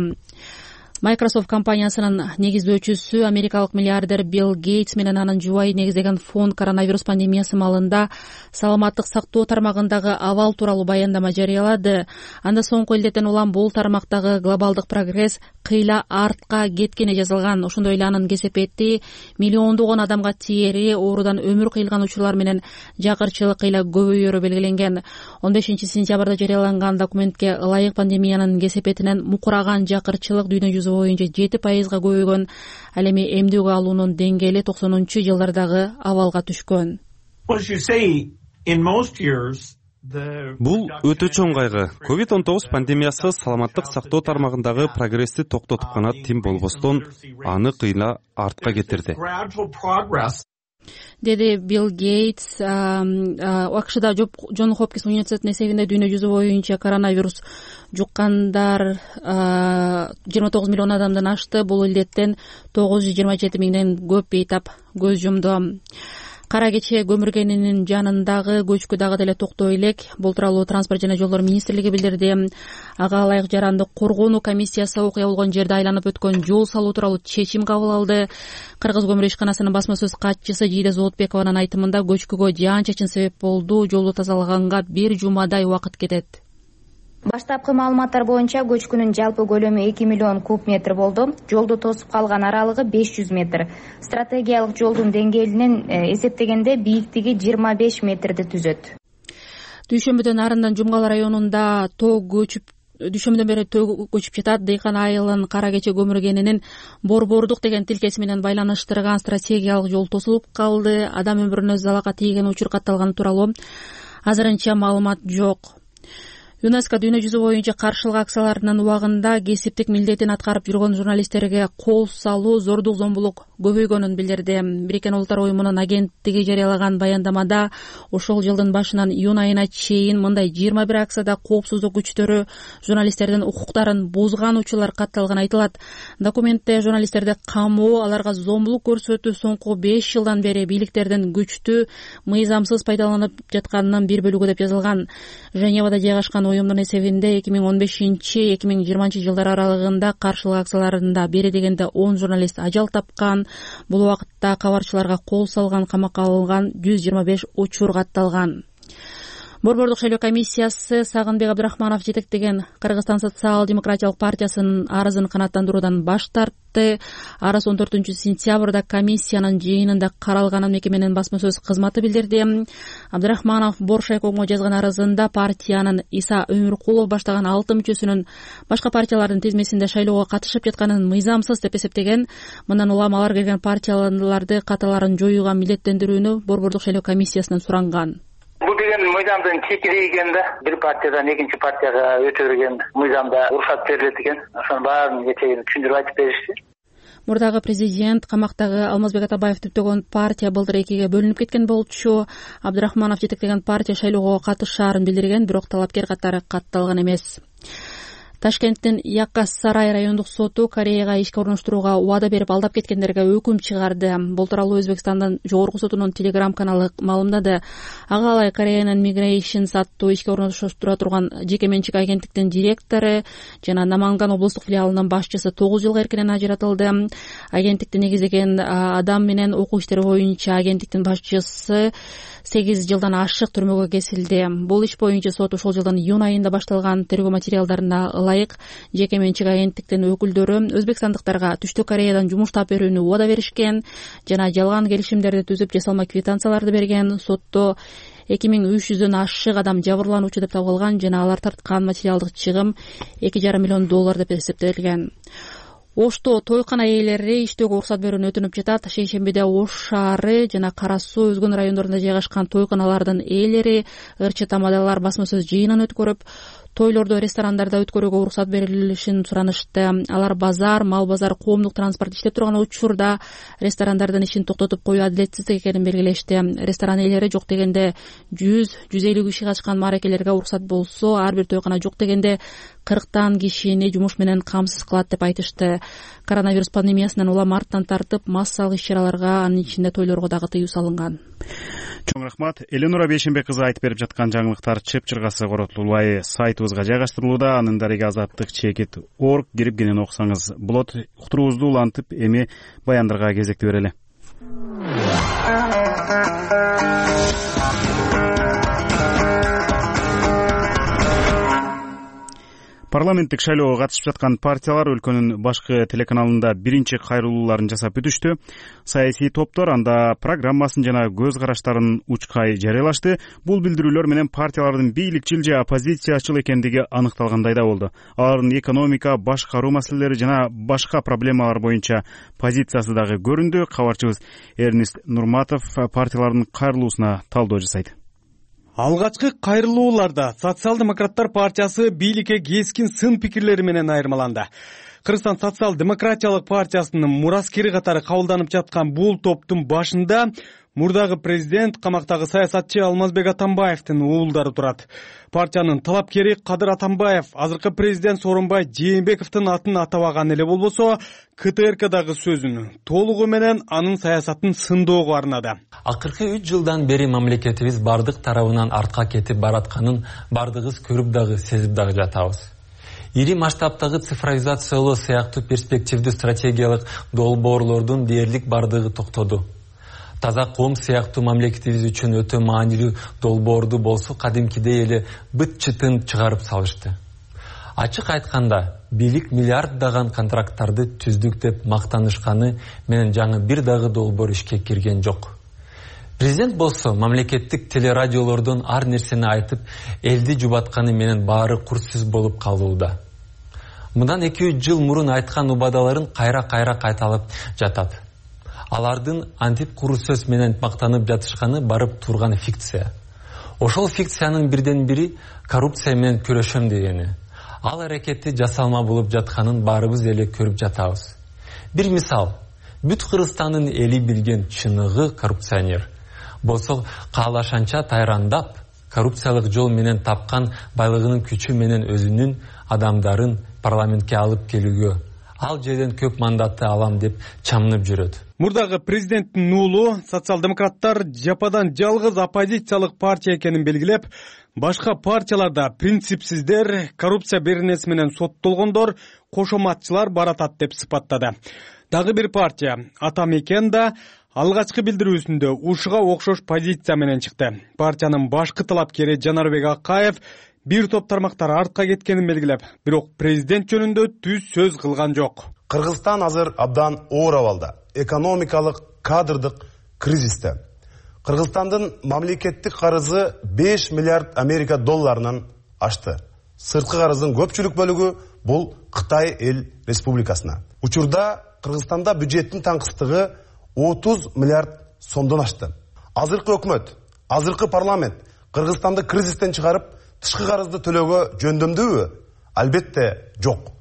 Microsoft компаниясынын негиздөөчүсү америкалык миллиардер Билл Гейтс менен анын жубайы негиздеген фонд коронавирус пандемиясы маалында саламаттык сактоо тармагындагы абал тууралуу баяндама жарыялады. Анда соңку илдеттен улам бул тармактагы глобалдык прогресс кыйла артка кеткени жазылган. Ошондой эле анын кесепети миллиондогон адамга тиери оорудан өмүр кыйылган учурлар менен жакырчылык кыйла көбөйөрү белгиленген. 15-сентябрда жарыяланган документке ылайык пандемиянын кесепетинен мукураган жакырчылык дүйнө жүзү боюнча 7%-га көбөйгөн. Ал эми эмдүүгө алуунун деңгээли 90-жылдардагы абалга түшкөн. Бул өтө чоң кайгы. COVID-19 пандемиясы саламаттык сактоо тармагындагы прогрессти токтотуп гана тим болбостон, аны кыйла артка кетирди, деди Билл Гейтс. АКШда Джон Хопкинс университетинин эсебинде дүйнө жүзү боюнча коронавирус жуккандар 29 миллион адамдан ашты. Бул илдеттен 927 миңден көп бейтап көз жумду. Кара кече көмүргенинин жанындагы көчкү дагы деле токтой элек. Бул тууралуу Транспорт жана жолдор министрлиги билдирди. Ага ылайык жаранды коргонуу комиссиясы окуя болгон жерди айланып өткөн жол салуу тууралуу чечим кабыл алды. Кыргыз көмүр ишканасынын басма сөз катчысы Жийде Зоотбекованын айтымында көчкүгө жаан чачын себеп болду. Жолду тазалаганга 1 жумадай убакыт кетет. Баштапкы маалыматтар боюнча көчкүнүн жалпы көлөмү 2 миллион куб метр болду. Жолду тосуп калган аралыгы 500 метр. Стратегиялык жолдун деңгээлинен эсептегенде бийиктиги 25 метрди түзөт. Дүйшөмбүдөн арындан Жумгал районунда дүйшөмбүдөн бери төө көчүп жатат. Дыйкан айылын кара кече көмүргенинин борбордук деген тилкеси менен байланыштырган стратегиялык жол тосулуп калды. Адам өмүрүнө залалга тийген учур катталганы тууралуу азырынча маалымат жок. ЮНЕСКО дүйнө жүзү боюнча каршылык акцияларынын убагында кесиптик милдетин аткарып жүргөн журналисттерге кол салуу, зордук зомбулук көбөйгөнүн билдирди. Бириккен Улуттар уюмунун агенттиги жарыялаган баяндамада ошол жылдын башынан июнь айына чейин мындай 21 акцияда коопсуздук күчтөрү журналисттердин укуктарын бузган учурлар катталганы айтылат. Документте журналисттерди камоо, аларга зомбулук көрсөтүү соңку 5 жылдан бери бийликтердин күчтүү, мыйзамсыз пайдаланып жатканынын бир бөлүгү деп жазылган. Женевада жайгашкан уюмдун эсебинде 2015-2020 жылдар аралыгында каршылык акцияларында бери дегенде 10 журналист ажал тапкан. Бул убакытта кабарчыларга кол салган, камакка алынган 125 учур катталган. Борбордук шайлоо комиссиясы Сагынбек Абдрахманов жетектеген Кыргызстан социал-демократиялык партиясынын арызын канааттандыруудан баш тартты. Арыз 14-сентябрда комиссиянын жыйынында каралганын мекеменин басма сөз кызматы билдирди. Абдрахманов Боршайкомго жазган арызында партиянын Иса Өмүркулов баштаган 6 мүчөсүнүн башка партиялардын тизмесинде шайлоого катышып жатканын мыйзамсыз деп эсептеген. Мындан улам алар кирген партияларды каталарын жоюуга милдеттендирүүнү Борбордук шайлоо комиссиясынан суранган. Бул деген мыйзамдын чечири экен да. Бир партиядан экинчи партияга өтө берген мыйзамда уруксат берилет экен. Ошонун баарын кечээ түшүндүрүп айтып беришти. Мурдагы президент камактагы Алмазбек Атабаев түптөгөн партия былтыр экиге бөлүнүп кеткен болчу. Абдрахманов жетектеген партия шайлоого катышаарын билдирген, бирок талапкер катары катталган эмес. Ташкенттин Якас-Сарай райондук соту Кореяга ишке орноштурууга убада берип алдап кеткендерге өкүм чыгарды. Бул тууралуу Өзбекстандын жогорку сотунун Telegram каналы маалымдады. Ага алай Кореянын Migration аттуу ишке орноштура турган жеке менчик агенттиктин директору жана Наманган облустук филиалынын башчысы 9 жылга эркинен ажыратылды. Агенттикти негиздеген адам менен окуу иштери боюнча агенттиктин башчысы 8 жылдан ашык түрмөгө кесилди. Бул иш боюнча сот ошол жылдын июнь айында башталган тергөө материалдарына ылайык жеке менчик агенттиктин өкүлдөрү Өзбекстандыктарга Түштүк Кореядан жумуш таап берүүнү убада беришкен жана жалган келишимдерди түзүп жасалма квитанцияларды берген. Сотто 2300дөн ашык адам жабырлануучу деп табылган жана алар тарткан материалдык чыгым $2,5 миллион деп эсептелген. Ошто тойкана ээлери иштөөгө уруксат берүүнү өтүнүп жатат. Шейшембиде Ош шаары жана Кара Суу өзгөн райондорунда жайгашкан тойканалардын ээлери ырчы тамадалар басма сөз жыйынын өткөрүп, тойлорду ресторандарда өткөрүүгө уруксат берилишин суранышты. Алар базар, мал базар, коомдук транспорт иштеп турган учурда ресторандардын ишин токтотуп коюу адилетсиздик экенин белгилешти. Ресторан ээлери жок дегенде 100-150 киши катышкан мааракелерге уруксат болсо, ар бир тойкана жок дегенде 40 кишини жумуш менен камсыз кылат деп айтышты. Коронавирус пандемиясынан улам марттан тартып, массалык иш-чараларга, анын ичинде тойлорго дагы тыюу салынган. Чоң рахмат. Эленура Бейшенбек кызы айтып берип жаткан жаңылыктар чып-чыргасы коротулбай сайтыбызга жайгаштырылууда. Анын дареги azattik.org кирип кенен окусаңыз болот. Уктуруубузду улантып, эми баяндарга кезекти берели. Парламенттик шайлоого катышып жаткан партиялар өлкөнүн башкы телеканалында биринчи кайрылууларын жасап бүтүштү. Саясий топтор анда программасын жана көз караштарын учкай жарыялашты. Бул билдирүүлөр менен партиялардын бийликчил же оппозициячыл экендиги аныкталгандай да болду. Алардын экономика, башкаруу маселелери жана башка проблемалар боюнча позициясы дагы көрүндү. Кабарчыбыз Эрнест Нурматов партиялардын кайрылуусуна талдоо жасайт. Алгачкы кайрылууларда Социал-демократтар партиясы бийликке кескин сын пикирлери менен айырмаланды. Кыргызстан социал-демократиялык партиясынын мураскери катары кабылданып жаткан бул топтун башында мурдагы президент, камактагы саясатчы Алмазбек Атамбаевдин уулдары турат. Партиянын талапкери Кадыр Атамбаев азыркы президент Сооронбай Жээнбековдун атын атабаган эле болбосо, КТРКдагы сөзүн толугу менен анын саясатын сындоого арнады. Акыркы 3 жылдан бери мамлекетибиз бардык тарабынан артка кетип баратканын бардыгыбыз көрүп дагы сезип дагы жатабыз. Ири масштабтагы цифровизациялоо сыяктуу перспективдүү стратегиялык долбоорлордун дээрлик бардыгы токтоду. Таза коом сыяктуу мамлекетибиз үчүн өтө маанилүү долбоорду болсо кадимкидей эле быт-чытын чыгарып салышты. Ачык айтканда, бийлик миллиарддаган контракттарды түздүк деп мактанышканы менен жаңы бир дагы долбоор ишке кирген жок. Президент болсо мамлекеттик телерадиолордон ар нерсени айтып, элди жубатканы менен баары курсуз болуп калууда. Мындан 2-3 жыл мурун айткан убадаларын кайра-кайра кайталап жатат. Алардын антип куру сөз менен мактанып жатышканы барып турган фикция. Ошол фикциянын бирден бири коррупция менен күрөшөм дегени. Ал аракетти жасалма болуп жатканын баарыбыз эле көрүп жатабыз. Бир мисал, бүт Кыргызстандын эли билген чыныгы коррупционер болсо каалашанча тайрандап, коррупциялык жол менен тапкан байлыгынын күчү менен өзүнүн адамдарын парламентке алып келүүгө, ал жерден көп мандатты алам деп чамынып жүрөт. Мурдагы президенттин уулу социал-демократтар жападан жалгыз оппозициялык партия экенин белгилеп, башка партияларда принципсиздер, коррупция беренеси менен соттолгондор, кошоматчылар баратат деп сыпаттады. Дагы бир партия Ата Мекен да алгачкы билдирүүсүндө ушуга окшош позиция менен чыкты. Партиянын башкы талапкери Жанарбек Акаев бир топ тармактар артка кеткенин белгилеп, бирок президент жөнүндө түз сөз кылган жок. Кыргызстан азыр абдан оор абалда, экономикалык, кадрдык кризисте. Кыргызстандын мамлекеттик карызы 5 миллиард Америка долларынан ашты. Сырткы карыздын көпчүлүк бөлүгү бул Кытай эл республикасына. Учурда Кыргызстанда бюджеттин таңкыстыгы 30 миллиард сомдон ашты. Азыркы өкмөт, азыркы парламент Кыргызстанды кризистен чыгарып, тышкы карызды төлөөгө жөндөмдүүбү? Албетте жок.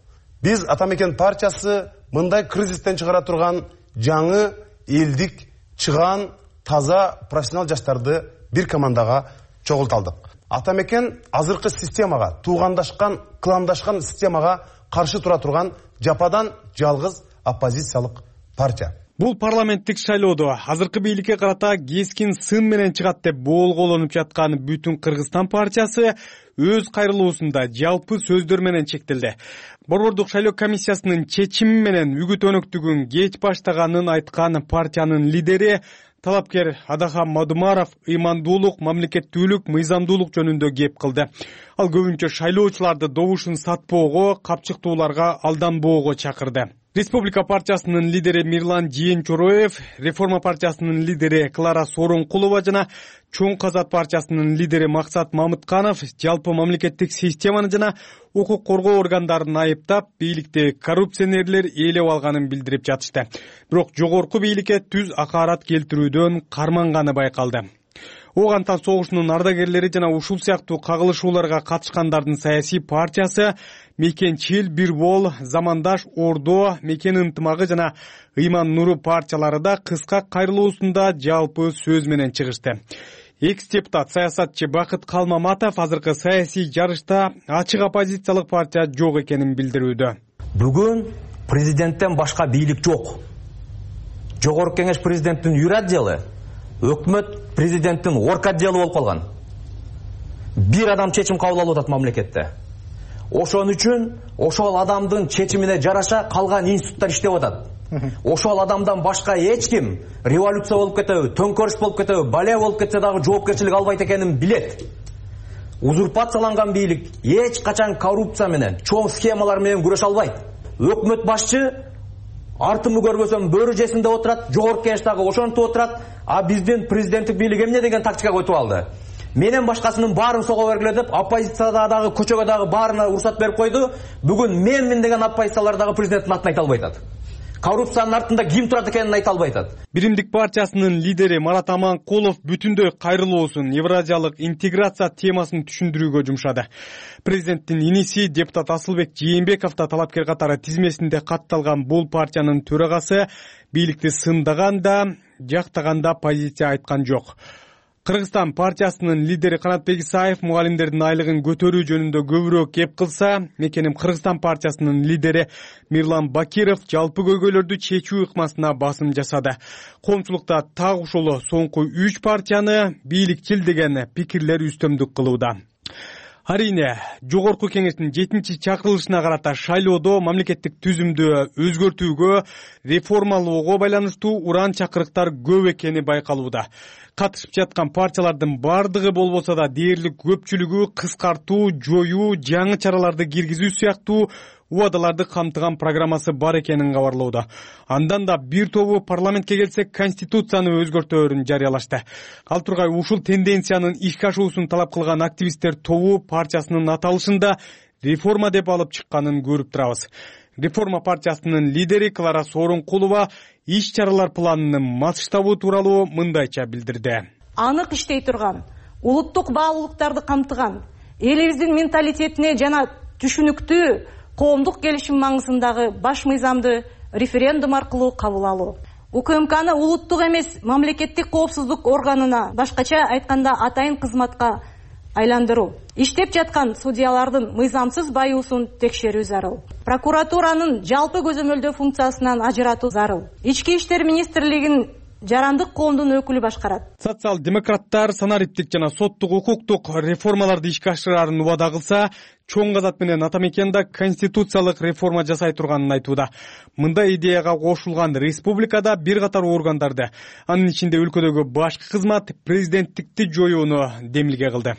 Биз Ата Мекен партиясы мындай кризистен чыгара турган жаңы элдик, чыган, таза профессионал жаштарды бир командага чогулталдык. Ата Мекен азыркы системага, туугандашкан, кландашкан системага каршы тура турган жападан жалгыз оппозициялык партия. Бул парламенттик шайлоодо азыркы бийликке карата кескин сын менен чыгат деп боолголонуп жаткан Бүтүн Кыргызстан партиясы өз кайрылуусунда жалпы сөздөр менен чектелди. Борбордук шайлоо комиссиясынын чечими менен үгүт өнөктүгүн кеч баштаганын айткан партиянын лидери талапкер Адахан Мадумаров ыймандуулук, мамлекеттүүлүк, мыйзамдуулук жөнүндө кеп кылды. Ал көбүнчө шайлоочуларды добушун сатпоого, капчыктууларга алданбоого чакырды. Республика партиясынын лидери Мирлан Жээнчороев, Реформа партиясынын лидери Клара Сооронкулова жана Чоң Казат партиясынын лидери Максат Мамытканов жалпы мамлекеттик системаны жана укук коргоо органдарын айыптап, бийликти коррупционерлер ээлеп алганын билдирип жатышты. Бирок жогорку бийликке түз акаарат келтирүүдөн карманганы байкалды. Ооган Тан согушунун ардагерлери жана ушул сыяктуу кагылышууларга катышкандардын саясий партиясы Мекенчил, Бирбол, Замандаш, Ордо, Мекен ынтымагы жана Ыйман Нуру партиялары да кыска кайрылуусунда жалпы сөз менен чыгышты. Экс-депутат саясатчы Бакыт Калмаматов азыркы саясий жарышта ачык оппозициялык партия жок экенин билдирүүдө. Бүгүн президенттен башка бийлик жок. Жогорку кеңеш президенттин үйрө отделы, өкмөт президенттин орка отделы болуп калган. Бир адам чечим кабыл алып атат мамлекетте. Ошон үчүн ошол адамдын чечимине жараша калган институттар иштеп атат. Ошол адамдан башка эч ким революция болуп кетеби, төңкөрүш болуп кетеби, балия болуп кетсе дагы жоопкерчилик албайт экенин билет. Узурпацияланган бийлик эч качан коррупция менен, чоң схемалар менен күрөшө албайт. Өкмөт башчы артымы көрбөсөм бөрү жесинде отурат, жогорку кеңеш дагы ошентип отурат, а биздин президенттик бийлик эмне деген тактика койтуп алды. Менен башкасынын баарын сого бергиле деп, оппозицияда дагы, көчөгө дагы баарына уруксат берип койду. Бүгүн менмин деген оппозициялар дагы президенттин атын айта албай атат. Коррупциянын артында ким турат экенин айта албай атат. Биримдик партиясынын лидери Марат Аманкулов бүтүндөй кайрылуусун евразиялык интеграция темасын түшүндүрүүгө жумшады. Президенттин иниси депутат Асылбек Жээнбеков да талапкер катары тизмесинде катталган бул партиянын төрагасы бийликти сындаганда, жактаганда позиция айткан жок. Кыргызстан партиясынын лидери Канатбек Исаев мугалимдердин айлыгын көтөрүү жөнүндө көбүрөөк кеп кылса, Мекеним Кыргызстан партиясынын лидери Мирлан Бакиров жалпы көйгөйлөрдү чечүү ыкмасына басым жасады. Коомчулукта так ушул соңку 3 партияны бийликчил деген пикирлер үстөмдүк кылууда. Арине, жогорку кеңештин 7-чакырылышына карата шайлоодо мамлекеттик түзүмдү өзгөртүүгө, реформалоого байланыштуу уран чакырыктар көп экени байкалууда. Катышып жаткан партиялардын бардыгы болбосо да дээрлик көпчүлүгү кыскартуу, жоюу, жаңы чараларды киргизүү сыяктуу убадаларды камтыган программасы бар экенин кабарлоодо. Андан да бир тобу парламентке келсе конституцияны өзгөртөөрүн жарыялашты. Ал тургай ушул тенденциянын ишке ашуусун талап кылган активисттер тобу партиясынын аталышында реформа деп алып чыкканын көрүп турабыз. Реформа партиясынын лидери Клара Сооронкулова иш чаралар планынын масштабы тууралуу мындайча билдирди. Анык иштей турган улуттук баалуулуктарды камтыган, элибиздин менталитетине жана түшүнүктүү коомдук келишим маңызындагы баш мыйзамды референдум аркылуу кабыл алуу. УКМКны улуттук эмес мамлекеттик коопсуздук органына, башкача айтканда атайын кызматка айландыруу. Иштеп жаткан судьялардын мыйзамсыз баюусун текшерүү зарыл. Прокуратуранын жалпы көзөмөлдөө функциясынан ажыратуу зарыл. Ички иштер министрлигин жарандык коомдун өкүлү башкарат. Социал-демократтар санариптик жана соттук укуктук реформаларды ишке ашырарын убада кылса, чоң казат менен Атамекенда конституциялык реформа жасай турганын айтууда. Мындай идеяга кошулган республикада бир катар органдарды, анын ичинде өлкөдөгү башкы кызмат президенттикти жоюуну демилге кылды.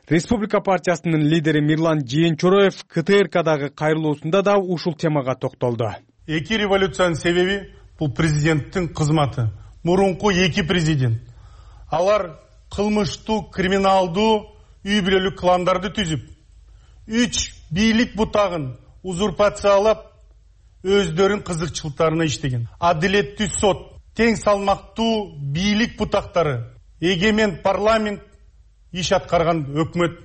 Республика партиясынын лидери Мирлан Жээнчороев КТРКдагы кайрылуусунда да ушул темага токтолду. Эки революциянын себеби бул президенттин кызматы. Мурунку эки президент. Алар кылмыштуу, криминалдуу, үй бүлөлүк кландарды түзүп, 3 бийлик бутагын узурпациялап, өздөрүнүн кызыкчылыктарына иштеген. Адилеттүү сот, тең салмактуу бийлик бутактары, эгемен парламент, иш аткарган өкмөт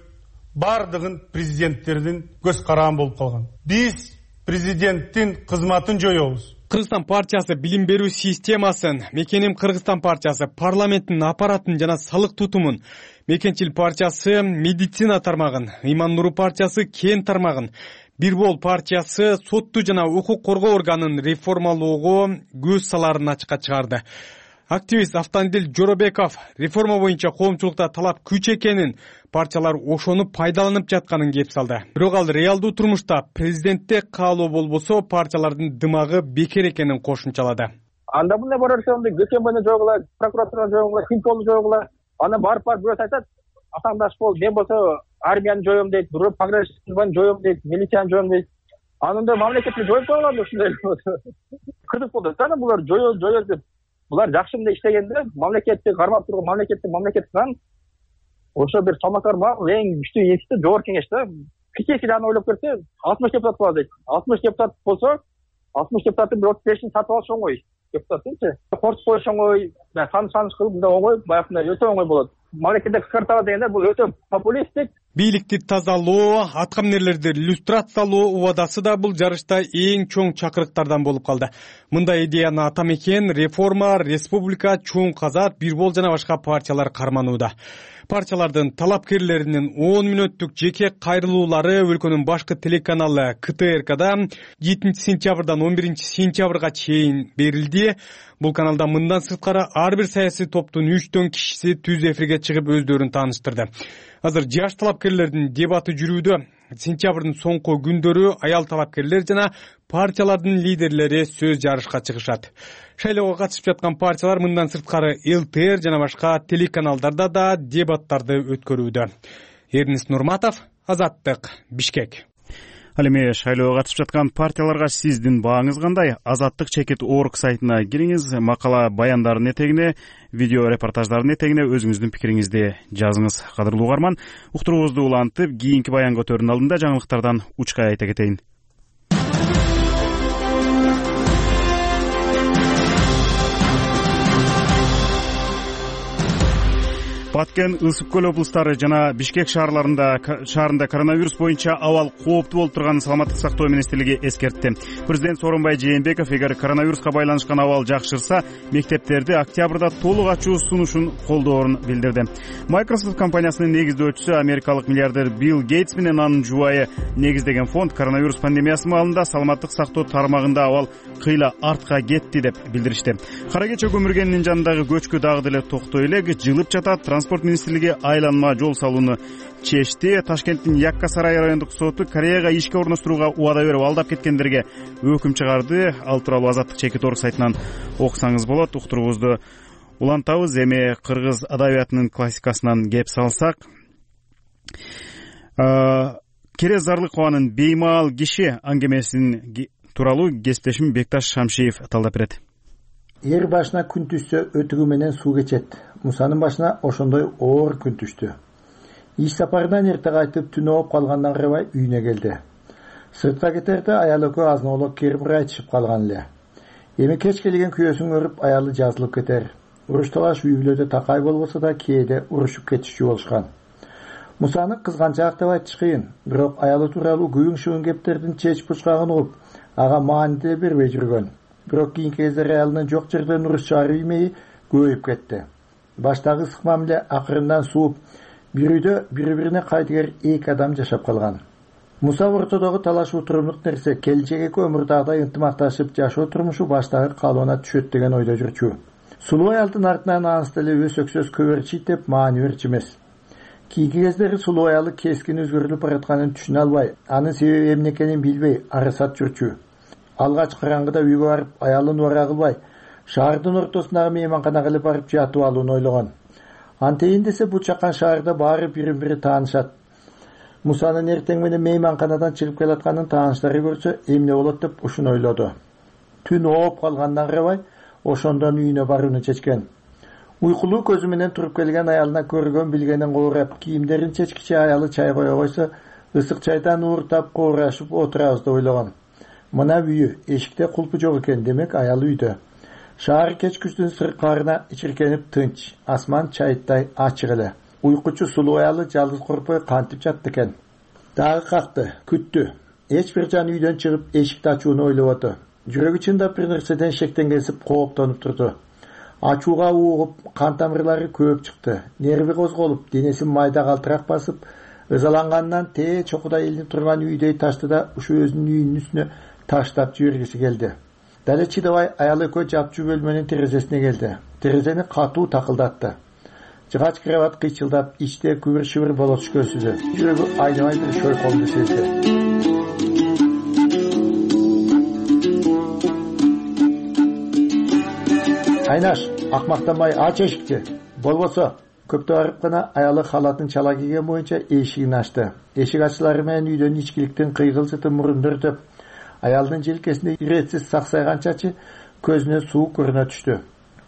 бардыгын президенттердин көз караган болуп калган. Биз президенттин кызматын жоебуз. Кыргызстан партиясы билим берүү системасын, Мекеним Кыргызстан партиясы парламенттин аппаратын жана салык тутумун, Мекенчил партиясы медицина тармагын, Иман Нуру партиясы кен тармагын, Бир Бол партиясы сотту жана укук коргоо органын реформалоого көз саларын ачыкка чыгарды. Активист Автандил Жоробеков реформа боюнча коомчулукта талап күч экенин, партиялар ошону пайдаланып жатканын кеп салды. Бирок ал реалдуу турмушта президентте каалоо болбосо партиялардын дымагы бекер экенин кошумчалады. Анда мындай барышында ГКМны жойгула, прокуратураны жойгула, Хинколду жойгула, аны барып бирөө айтат, атаңдаш бол, мен болсо армияны жоём дейт, бирөө пограничниктерди жоём дейт, милицияны жоём дейт. Анында мамлекетти жоюп койгонбу ушундай? Кыргыз болду, тана булар жоёл деп. Булар жакшы мындай иштегенде, мамлекетти кармап турган мамлекеттен ошо бир самакар эң күчтүү институт жогорку кеңеш да. Кичээки жагын ойлоп көрсө, 60 депутат болот дейт. 60 депутат болсо, 60 депутаттын 35-ин сатып алыш оңой. Депутаттынчы. Кортуп коюш оңой, саны кылып мындай оңой, баягындай өтө оңой болот. Мамлекетте кыскартабы дегенде бул өтө популисттик. Бийликти тазалоо, аткаминерлерди люстрациялоо убадасы да бул жарышта эң чоң чакырыктардан болуп калды. Мындай идеяны Атамекен, Реформа, Республика, Чоң Казат, Бир Бол жана башка партиялар карманууда. Партиялардын талапкерлеринин 10 мүнөттүк жеке кайрылуулары өлкөнүн башкы телеканалы КТРКда 7 сентябрдан 11 сентябрга чейин берилди. Бул каналда мындан сырткары ар бир саясий топтун 3 кишиси түз эфирге чыгып өздөрүн тааныштырды. Азыр жаш талапкерлердин дебаты жүрүүдө. Сентябрдын соңку күндөрү аял талапкерлер жана партиялардын лидерлери сөз жарышка чыгышат. Шайлоого катышып жаткан партиялар мындан сырткары ЛТР жана башка телеканалдарда да дебаттарды өткөрүүдө. Эрнис Нурматов, Азаттык, Бишкек. Ал эми шайлоого катышып жаткан партияларга сиздин бааңыз кандай? Azattik.org сайтына кириңиз, макала баяндардын этегине, видео репортаждардын этегине өзүңүздүн пикириңизди жазыңыз. Кадырлуу угарман, уктуруубузду улантып, кийинки баянга өтөрдүн алдында жаңылыктардан учкай айта кетейин. Баткен, Ысык көл облустары жана Бишкек шаарында коронавирус боюнча абал кооптуу болуп турганын саламаттык сактоо министрлиги эскертти. Президент Сооронбай Жээнбеков эгер коронавируска байланышкан абал жакшырса, мектептерди октябрда толук ачуу сунушун колдоорун билдирди. Microsoft компаниясынын негиздөөчүсү америкалык миллиардер Билл Гейтс менен анын жубайы негиздеген фонд коронавирус пандемиясы маалында саламаттык сактоо тармагында абал кыйла артка кетти деп билдиришти. Кара кече көмүргенинин жанындагы көчкү дагы деле токтой элек, жылып жатат. Транспорт министрлиги айланма жол салууну чечти. Ташкенттин Якка Сарай райондук соту Кореяга ишке орноштурууга убада берип алдап кеткендерге өкүм чыгарды. Ал тууралуу Azattik.org сайтынан окусаңыз болот. Уктуруубузду улантабыз. Эми кыргыз адабиятынын классикасынан кеп салсак, Керез Зарлыкованын «Беймаал киши» аңгемесин тууралуу кесиптешим Бекташ Шамшиев талдап берет. Эр башына күн түшсө өтүгү менен суу кечет. Мусанын башына ошондой оор күн түштү. Иш сапарынан эрте кайтып түнү оп калгандан карабай үйүнө келди. Сыртка кетерде аял экөө азнолук кирип айтышып калган эле. Эми кеч келген күйөөсүн көрүп аялы жазылып кетер. уруш талаш үй бүлөдө такай болбосо да кээде урушуп кетишчү болушкан. Мусаны кызганчаак деп айтыш кыйын, бирок аялы тууралуу күбүң шыбын кептердин чеч бучкагын угуп, ага маани деле бербей жүргөн. Бирок кийинки кездери аялынын жок жерден уруш чыгаруу имеи көбөйүп кетти. Баштагы ысык мамиле акырындан сууп, бир үйдө бири-бирине кайтыгер 2 адам жашап калган. Муса ортодогу талаш утурумдук нерсе келинчек экөө өмүрдагыдай ынтымакташып жашоо турмушу баштагы калыбына түшөт деген ойдо жүрчү. Сулуу аялдын артынан анысы деле өсөксөз көбөрчийт деп маани берчү эмес. Кийинки кездери сулуу аялы кескин өзгөрүлүп баратканын түшүнө албай, анын себеби эмне экенин билбей арасат жүрчү. Алгач караңгыда үйгө барып, аялын убара кылбай, шаардын ортосундагы мейманканага эле барып жатып алууну ойлогон. Антейин десе бул чакан шаарда баары бири-бири таанышат. Мусанын эртең менен мейманканадан чыгып келатканын тааныштары көрсө эмне болот деп ушуну ойлоду. Түн ооп калгандан карабай, ошондон үйүнө барууну чечкен. Уйкулуу көзү менен туруп келген аялына көргөн билгенин коорап, кийимдерин чечкиче аялы чай кое койсо, ысык чайдан ууртап коорашып отурабыз деп ойлогон. Мына үйү, эшикте кулпу жок экен, демек аял үйдө. Шаар кечкүчтүн сыркаарына ичиркенип тынч, асман чайыттай ачык эле. Уйкучу сулуу аялы жалгыз коркпой кантип жатты экен. Дагы какты, күттү. Эч бир жан үйдөн чыгып эшикти ачууну ойлободу. Жүрөгү чындап бир нерседен шектен кесип кооптонуп турду. Ачууга уугуп, кан тамырлары көөп чыкты. Нерви козголуп, денесин майда калтырак басып, ызаланганынан тээ чокуда илинип турган үйдөй ташты да ушу өзүнүн үйүнүн үстүнө таштап жибергиси келди. Дале чыдабай аял экөө жапчу бөлмөнүн терезесине келди. Терезени катуу такылдатты. Жыгач кровать кыйчылдап, ичте күбүр-шүбүр боло түшкөнсүзү. Жүрөгү айнабай бир шойколду сезди. Айнаш, акмактанбай ач эшикти. Болбосо, көптө барып гана аялы халатын чала кийген боюнча эшигин ачты. Эшик ачылары менен үйдөн ичкиликтин кыйгылжыты мурунду өртөп, аялдын желкесинде иретсиз саксайган чачы көзүнө суу көрүнө түштү.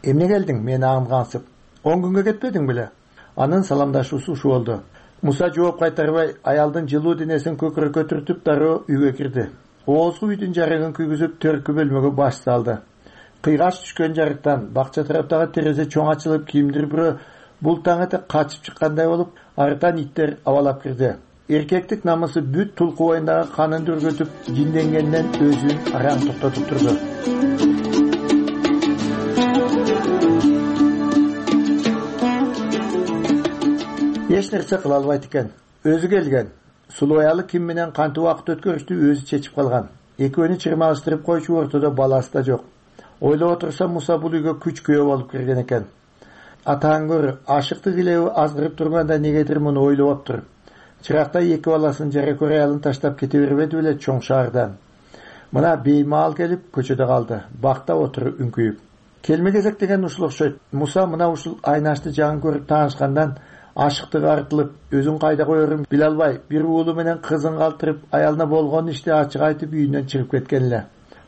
Эмне келдиң, мени аңгансып? 10 күнгө кетпедиң беле? Анын саламдашуусу ушу болду. Муса жооп кайтарбай, аялдын жылуу денесин көкүрөккө түртүп дароо үйгө кирди. Оозгу үйдүн жарыгын күйгүзүп төркү бөлмөгө баш салды. Кыйгач түшкөн жарыктан бакча тараптагы терезе чоң ачылып, кимдир бирөө бул таң эте качып чыккандай болуп, арытан иттер абалап кирди. Эркектик намысы бүт тулку боюндагы канын дүргөтүп, жинденгенден өзүн араң токтотуп турду. Эч нерсе кыла албайт экен. Өзү келген. Сулуу аялы ким менен кантип убакыт өткөрүштү өзү чечип калган. Экөөнү чырмалыштырып койчу ортодо баласы да жок. Ойлоп отурса Муса бул үйгө күч күйөө болуп кирген экен. Атаң көрү, ашыктык илеби азгырып турганда негедир муну ойлоптур. Чыракта 2 баласын жара көрө аялын таштап кете бербеди беле чоң шаардан. Мына беймаал келип көчөдө калды. Бакта отуруп үңкүйүп. Келме кезек деген ушул окшойт. Муса мына ушул Айнашты жаңы көрүп таанышкандан ашыктыгы артылып, өзүн кайда коерун биле албай, бир уулу менен кызын калтырып, аялына болгон ишти ачык айтып үйүнөн чыгып кеткен эле.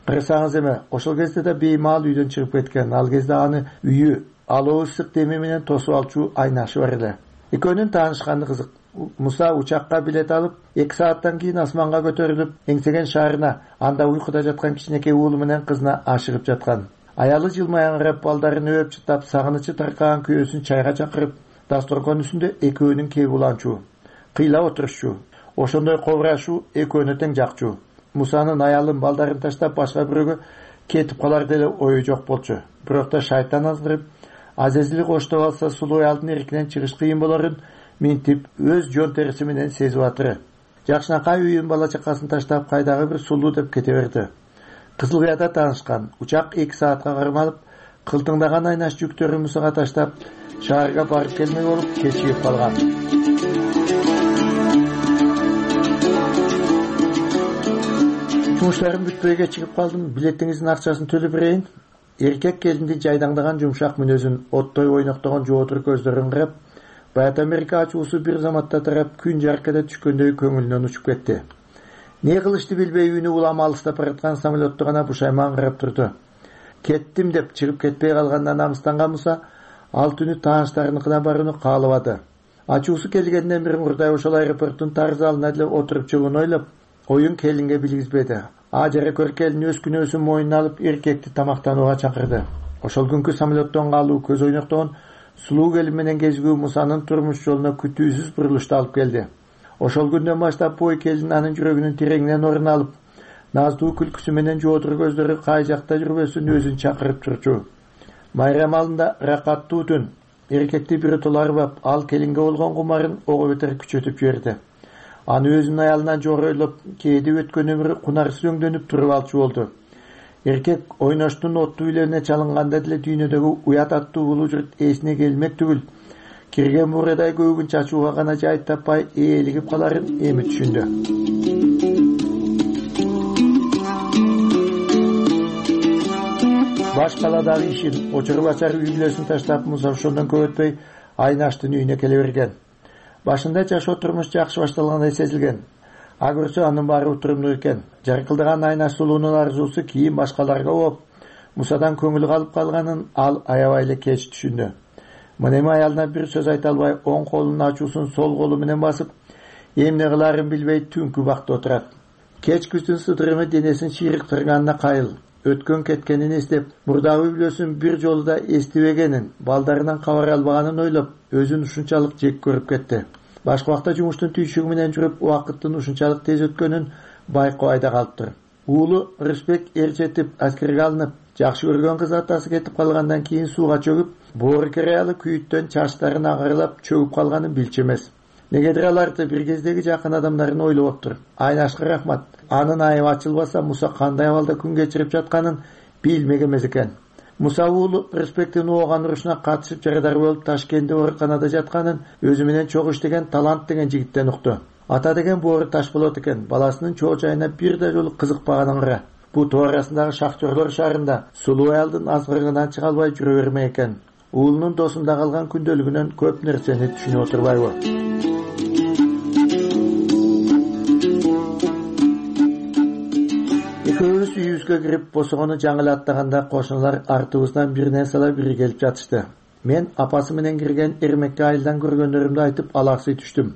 Кырсаңыз эме, ошол кезде да беймаал үйдөн чыгып кеткен. Ал кезде аны үйү алуу ысык деми менен тосуп алчу Айнашы бар эле. Экөөнүн таанышканы кызык. Муса учакка билет алып, 2 сааттан кийин асманга көтөрүлүп, эңсеген шаарына, анда уйкуда жаткан кичинекей уулу менен кызына ашыгып жаткан. Аялы жылмаяңырап, балдарын өп чытап, сагынычы таркаган күйөөсүн чайга чакырып, дасторкон үстүндө экөөнүн кеп уланчу. Кыйла отурушчу. Ошондой кобурашуу экөөнү тең жакчу. Мусанын аялын балдарын таштап башка бирөөгө кетип калар деле ою жок болчу. Бирок да шайтан аздырып, азезили коштоп алса сулуу аялдын эркинен чыгыш кыйын болорун минтип өз жон териси менен сезип атыры. Жакшынакай үйүн бала чакасын таштап кайдагы бир сулуу деп кете берди. Кызылыяда таанышкан. Учак 2 саатка кармалып, кылтыңдаган Айнаш жүктөрүн Мусага таштап, шаарга барып келмек болуп кечигип калган. Жумуштарым бүтпөйгө чыгып калдым. Билетиңиздин акчасын төлөп берейин. Эркек келиндин жайдаңдаган жумшак мүнөзүн, оттой ойноктогон жоотур көздөрүн карап, Баят Америка ачуусу бир заматта тарап, күн жаркеде түшкөндөй көңүлүнөн учуп кетти. Не кылышты билбей үйүнө улама алыстап бараткан самолетту гана бушайман карап турду. Кеттим деп чыгып кетпей калгандан намыстанган Муса ал түнү тааныштарыныкына барууну каалабады. Ачуусу келгенден бир мурдай ошол аэропорттун тар залына деле отуруп чыгууну ойлоп, оюн келинге билгизбеди. Жара көр келин өз күнөөсүн мойнуна алып эркекти тамактанууга чакырды. Ошол күнкү самолеттон калуу көз ойноктогон сулуу келин менен кезигүү Мусанын турмуш жолуна күтүүсүз бурулушту алып келди. Ошол күндөн баштап бой келин анын жүрөгүнүн тереңинен орун алып, наздуу күлкүсү менен жоодур көздөрү кай жакта жүрбөсүн өзүн чакырып турчу. Майрам алында ракаттуу түн. Эркекти биротоло арбап, ал келинге болгон кумарын ого бетер күчөтүп жиберди. Аны өзүнүн аялынан жогоройлоп, кээде өткөн өмүрү кунарсыз өңдөнүп туруп алчу болду. Эркек ойноштун оттуу үйлөрүнө чалынганда деле дүйнөдөгү уят аттуу улуу журт эсине келмек түгүл, кирген бурадай көөгүн чачууга гана жай таппай ээлигип каларын эми түшүндү. Баш каладагы ишин, очор-бачар үй-бүлөсүн таштап, Муса ошондон көп өтпөй Айнаштын үйүнө келе берген. Башында жашоо турмуш жакшы башталгандай сезилген. А көрсө анын баары утурумдуу экен. Жаркылдаган Айнаш сулуунун арзуусу кийин башкаларга ооп, Мусадан көңүлү калып калганын ал аябай эле кеч түшүндү. Мына эми аялына бир сөз айта албай, оң колунун ачуусун сол колу менен басып, эмне кылаарын билбей түнкү бакта отурат. Кеч күздүн сыдырымы денесин чыйрыктырганына кайыл. Өткөн кеткенин эстеп, мурдагы үй-бүлөсүн бир жолу да эстебегенин, балдарынан кабар албаганын ойлоп, өзүн ушунчалык жек көрүп кетти. Башка убакта жумуштун түйшүгү менен жүрүп, убакыттын ушунчалык тез өткөнүн байкабай да калыптыр. Уулу Рысбек эрчетип, аскерге алынып, жакшы көргөн кыз атасы кетип калгандан кийин сууга чөгүп, боорукер аялы күйүттөн чачтарын агарылап чөгүп калганын билчү эмес. Негедир аларды бир кездеги жакын адамдарын ойлоп оптур. Айнашка рахмат. Анын айыбы ачылбаса, Муса кандай абалда күн кечирип жатканын билмеген эмес экен. Муса уулу Рысбектин ооган урушуна катышып жарадар болуп Ташкентте ооруканада жатканын өзү менен чогуу иштеген Талант деген жигиттен укту. Ата деген боору таш болот экен, баласынын чоо жайына бир да жолу кызыкпаганын кара. Буту арасындагы шахтерлор шаарында сулуу аялдын азгырыгынан чыга албай жүрө бермек экен. Уулунун досунда калган күндөлүгүнөн көп нерсени түшүнүп отурбайбы? Экөөбүз үйүбүзгө кирип босогону жаңы эле аттаганда кошуналар артыбыздан биринен сала бири келип жатышты. Мен апасы менен кирген Эрмекти айылдан көргөндөрүмдү айтып алаксый түштүм.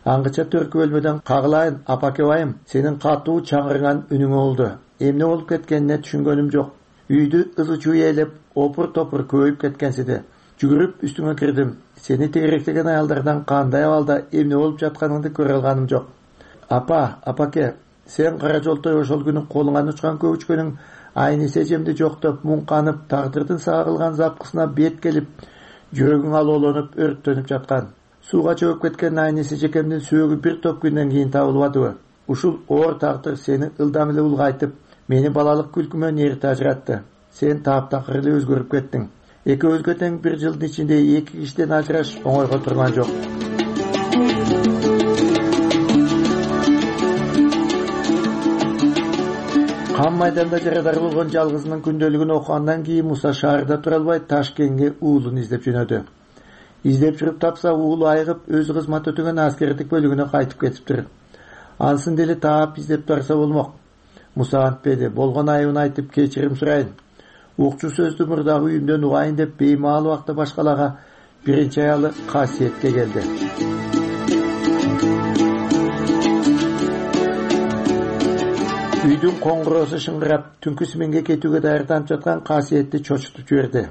Аңгыча төркү бөлмөдөн кагылайын, апаке байым, сенин катуу чаңырган үнүң болду. Эмне болуп кеткенине түшүнгөнүм жок. Үйдү ызы-чуу ээлеп, опур-топур көбөйүп кеткенсиди. Жүгүрүп үстүңө кирдим. Сени тегеректеген аялдардан кандай абалда эмне болуп жатканыңды көрө алганым жок. Апаке, сен кара жолтой ошол күнү колуңан учкан көбүчкөнүң айнисе жемди жоктоп, муңканып, тагдырдын сага кылган запкысына бет келип, жүрөгүң алоолонуп, өрттөнүп жаткан. Сууга чөгүп кеткен айнисе жекемдин сөөгү бир топ күндөн кийин табылбадыбы? Ушул оор тагдыр сени ылдам эле улгайтып, мени балалык күлкүмөн эрте ажыратты. Сен таптакыр эле өзгөрүп кеттиң. Экөөбүзгө тең бир жылдын ичинде эки кишиден ажыраш оңойго турган жок. Кан майданда жарадар болгон жалгызынын күндөлүгүн окугандан кийин Муса шаарда тура албай Ташкентке уулун издеп жөнөдү. Издеп жүрүп тапса, уулу айыгып өз кызмат өтөгөн аскердик бөлүгүнө кайтып кетиптир. Ансын деле таап издеп турса болмок. Муса антпеди, болгон айыбын айтып кечирим сурайын. Укчу сөздү мурдагы үйүмдөн угайын деп беймаал убакта башкалага биринчи аялы Касиетке келди. Үйдүн коңгуроосу шыңгырап, түнкү сменге кетүүгө даярданып жаткан Касиетти чочутуп жиберди.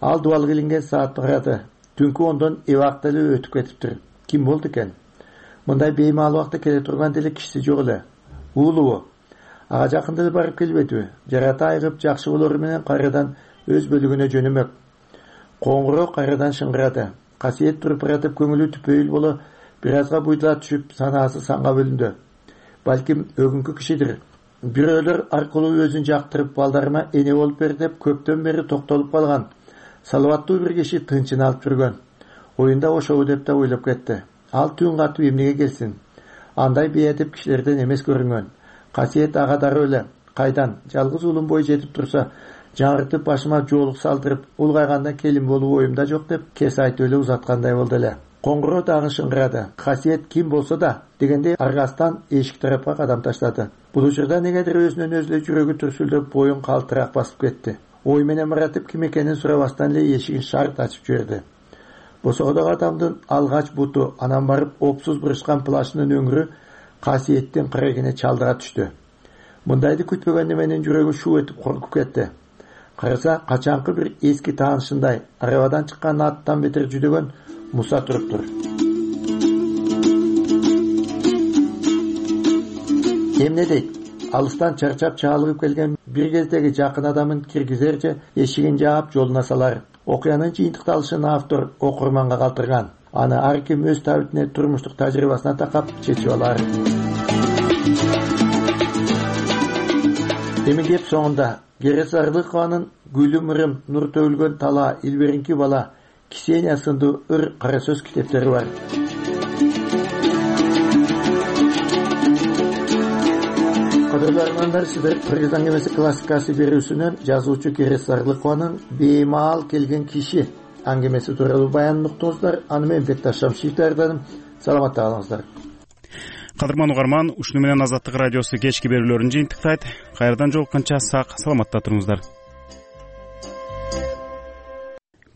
Ал дубал килинген саатты карады. Түнкү 10дон эбак деле өтүп кетиптир. Ким болду экен? Мындай беймаал убакта келе турган деле кишиси жок эле. Уулубу? Ага жакында эле барып келбедиби? Жарата айгып жакшы болору менен кайрадан өз бөлүгүнө жөнөмөк. Коңгуроо кайрадан шыңгырады. Касиет туруп баратып көңүлү түпөйүл боло бир азга буйдула түшүп, санаасы санга бөлүндү. Балким өгүнкү кишидир. Бирөөлөр аркылуу өзүн жактырып, балдарыма эне болуп бер деп көптөн бери токтолуп калган. Салаваттуу бир киши тынчын алып жүргөн. Оюнда ошобу деп да ойлоп кетти. Ал түн катып эмнеге келсин? Андай бейадеп кишилерден эмес көрүнгөн. Касиет ага дароо эле кайдан жалгыз уулум бой жетип турса, жаңыртып башыма жоолук салдырып, улгайганда келин болуу оюмда жок деп кес айтып эле узаткандай болду эле. Коңгуроо дагы шыңгырады. Касиет ким болсо да дегенде аргастан эшик тарапка кадам таштады. Бул учурда негедир өзүнөн өзү эле жүрөгү түрсүлдөп, боюн калтырак басып кетти. Ой менен маратып ким экенин сурабастан эле эшигин шарт ачып жиберди. Босогодогу адамдын алгач буту, анан барып опсуз бурушкан плашынын өңүрү Касиеттин кырегине чалдыга түштү. Мындайды күтпөгөндө менин жүрөгүм шуу этип коркуп кетти. караса качанкы бир эски таанышындай арабадан чыккан аттан бетер жүдөгөн Муса туруптур. Эмне дейт? Алыстан чарчап чалыгып келген бир кездеги жакын адамын киргизерче эшигин жаап жолуна салар. Окуянын жыйынтыкталышын автор окурманга калтырган. Аны ар ким өз табитине, турмуштук тажрыйбасына такап чечип алар. Эми кеп соңунда Керес Арлыкованын Гүлүм ырым, нур төгүлгөн тала, илберинки бала, Ксения сындуу ыр кара сөз китептери бар. Кадырлуу армандар, сиздер Кыргыз аңгемеси классикасы берүүсүнөн жазуучу Керес Арлыкованын беймаал келген киши аңгемеси тууралуу баянын уктуңуздар. Аны мен Бекташ Шамшиев даярдадым. Саламатта калыңыздар. Кадырман угарман, ушуну менен Азаттык радиосу кечки берүүлөрүн жыйынтыктайт. Кайрадан жолукканча сак саламатта туруңуздар.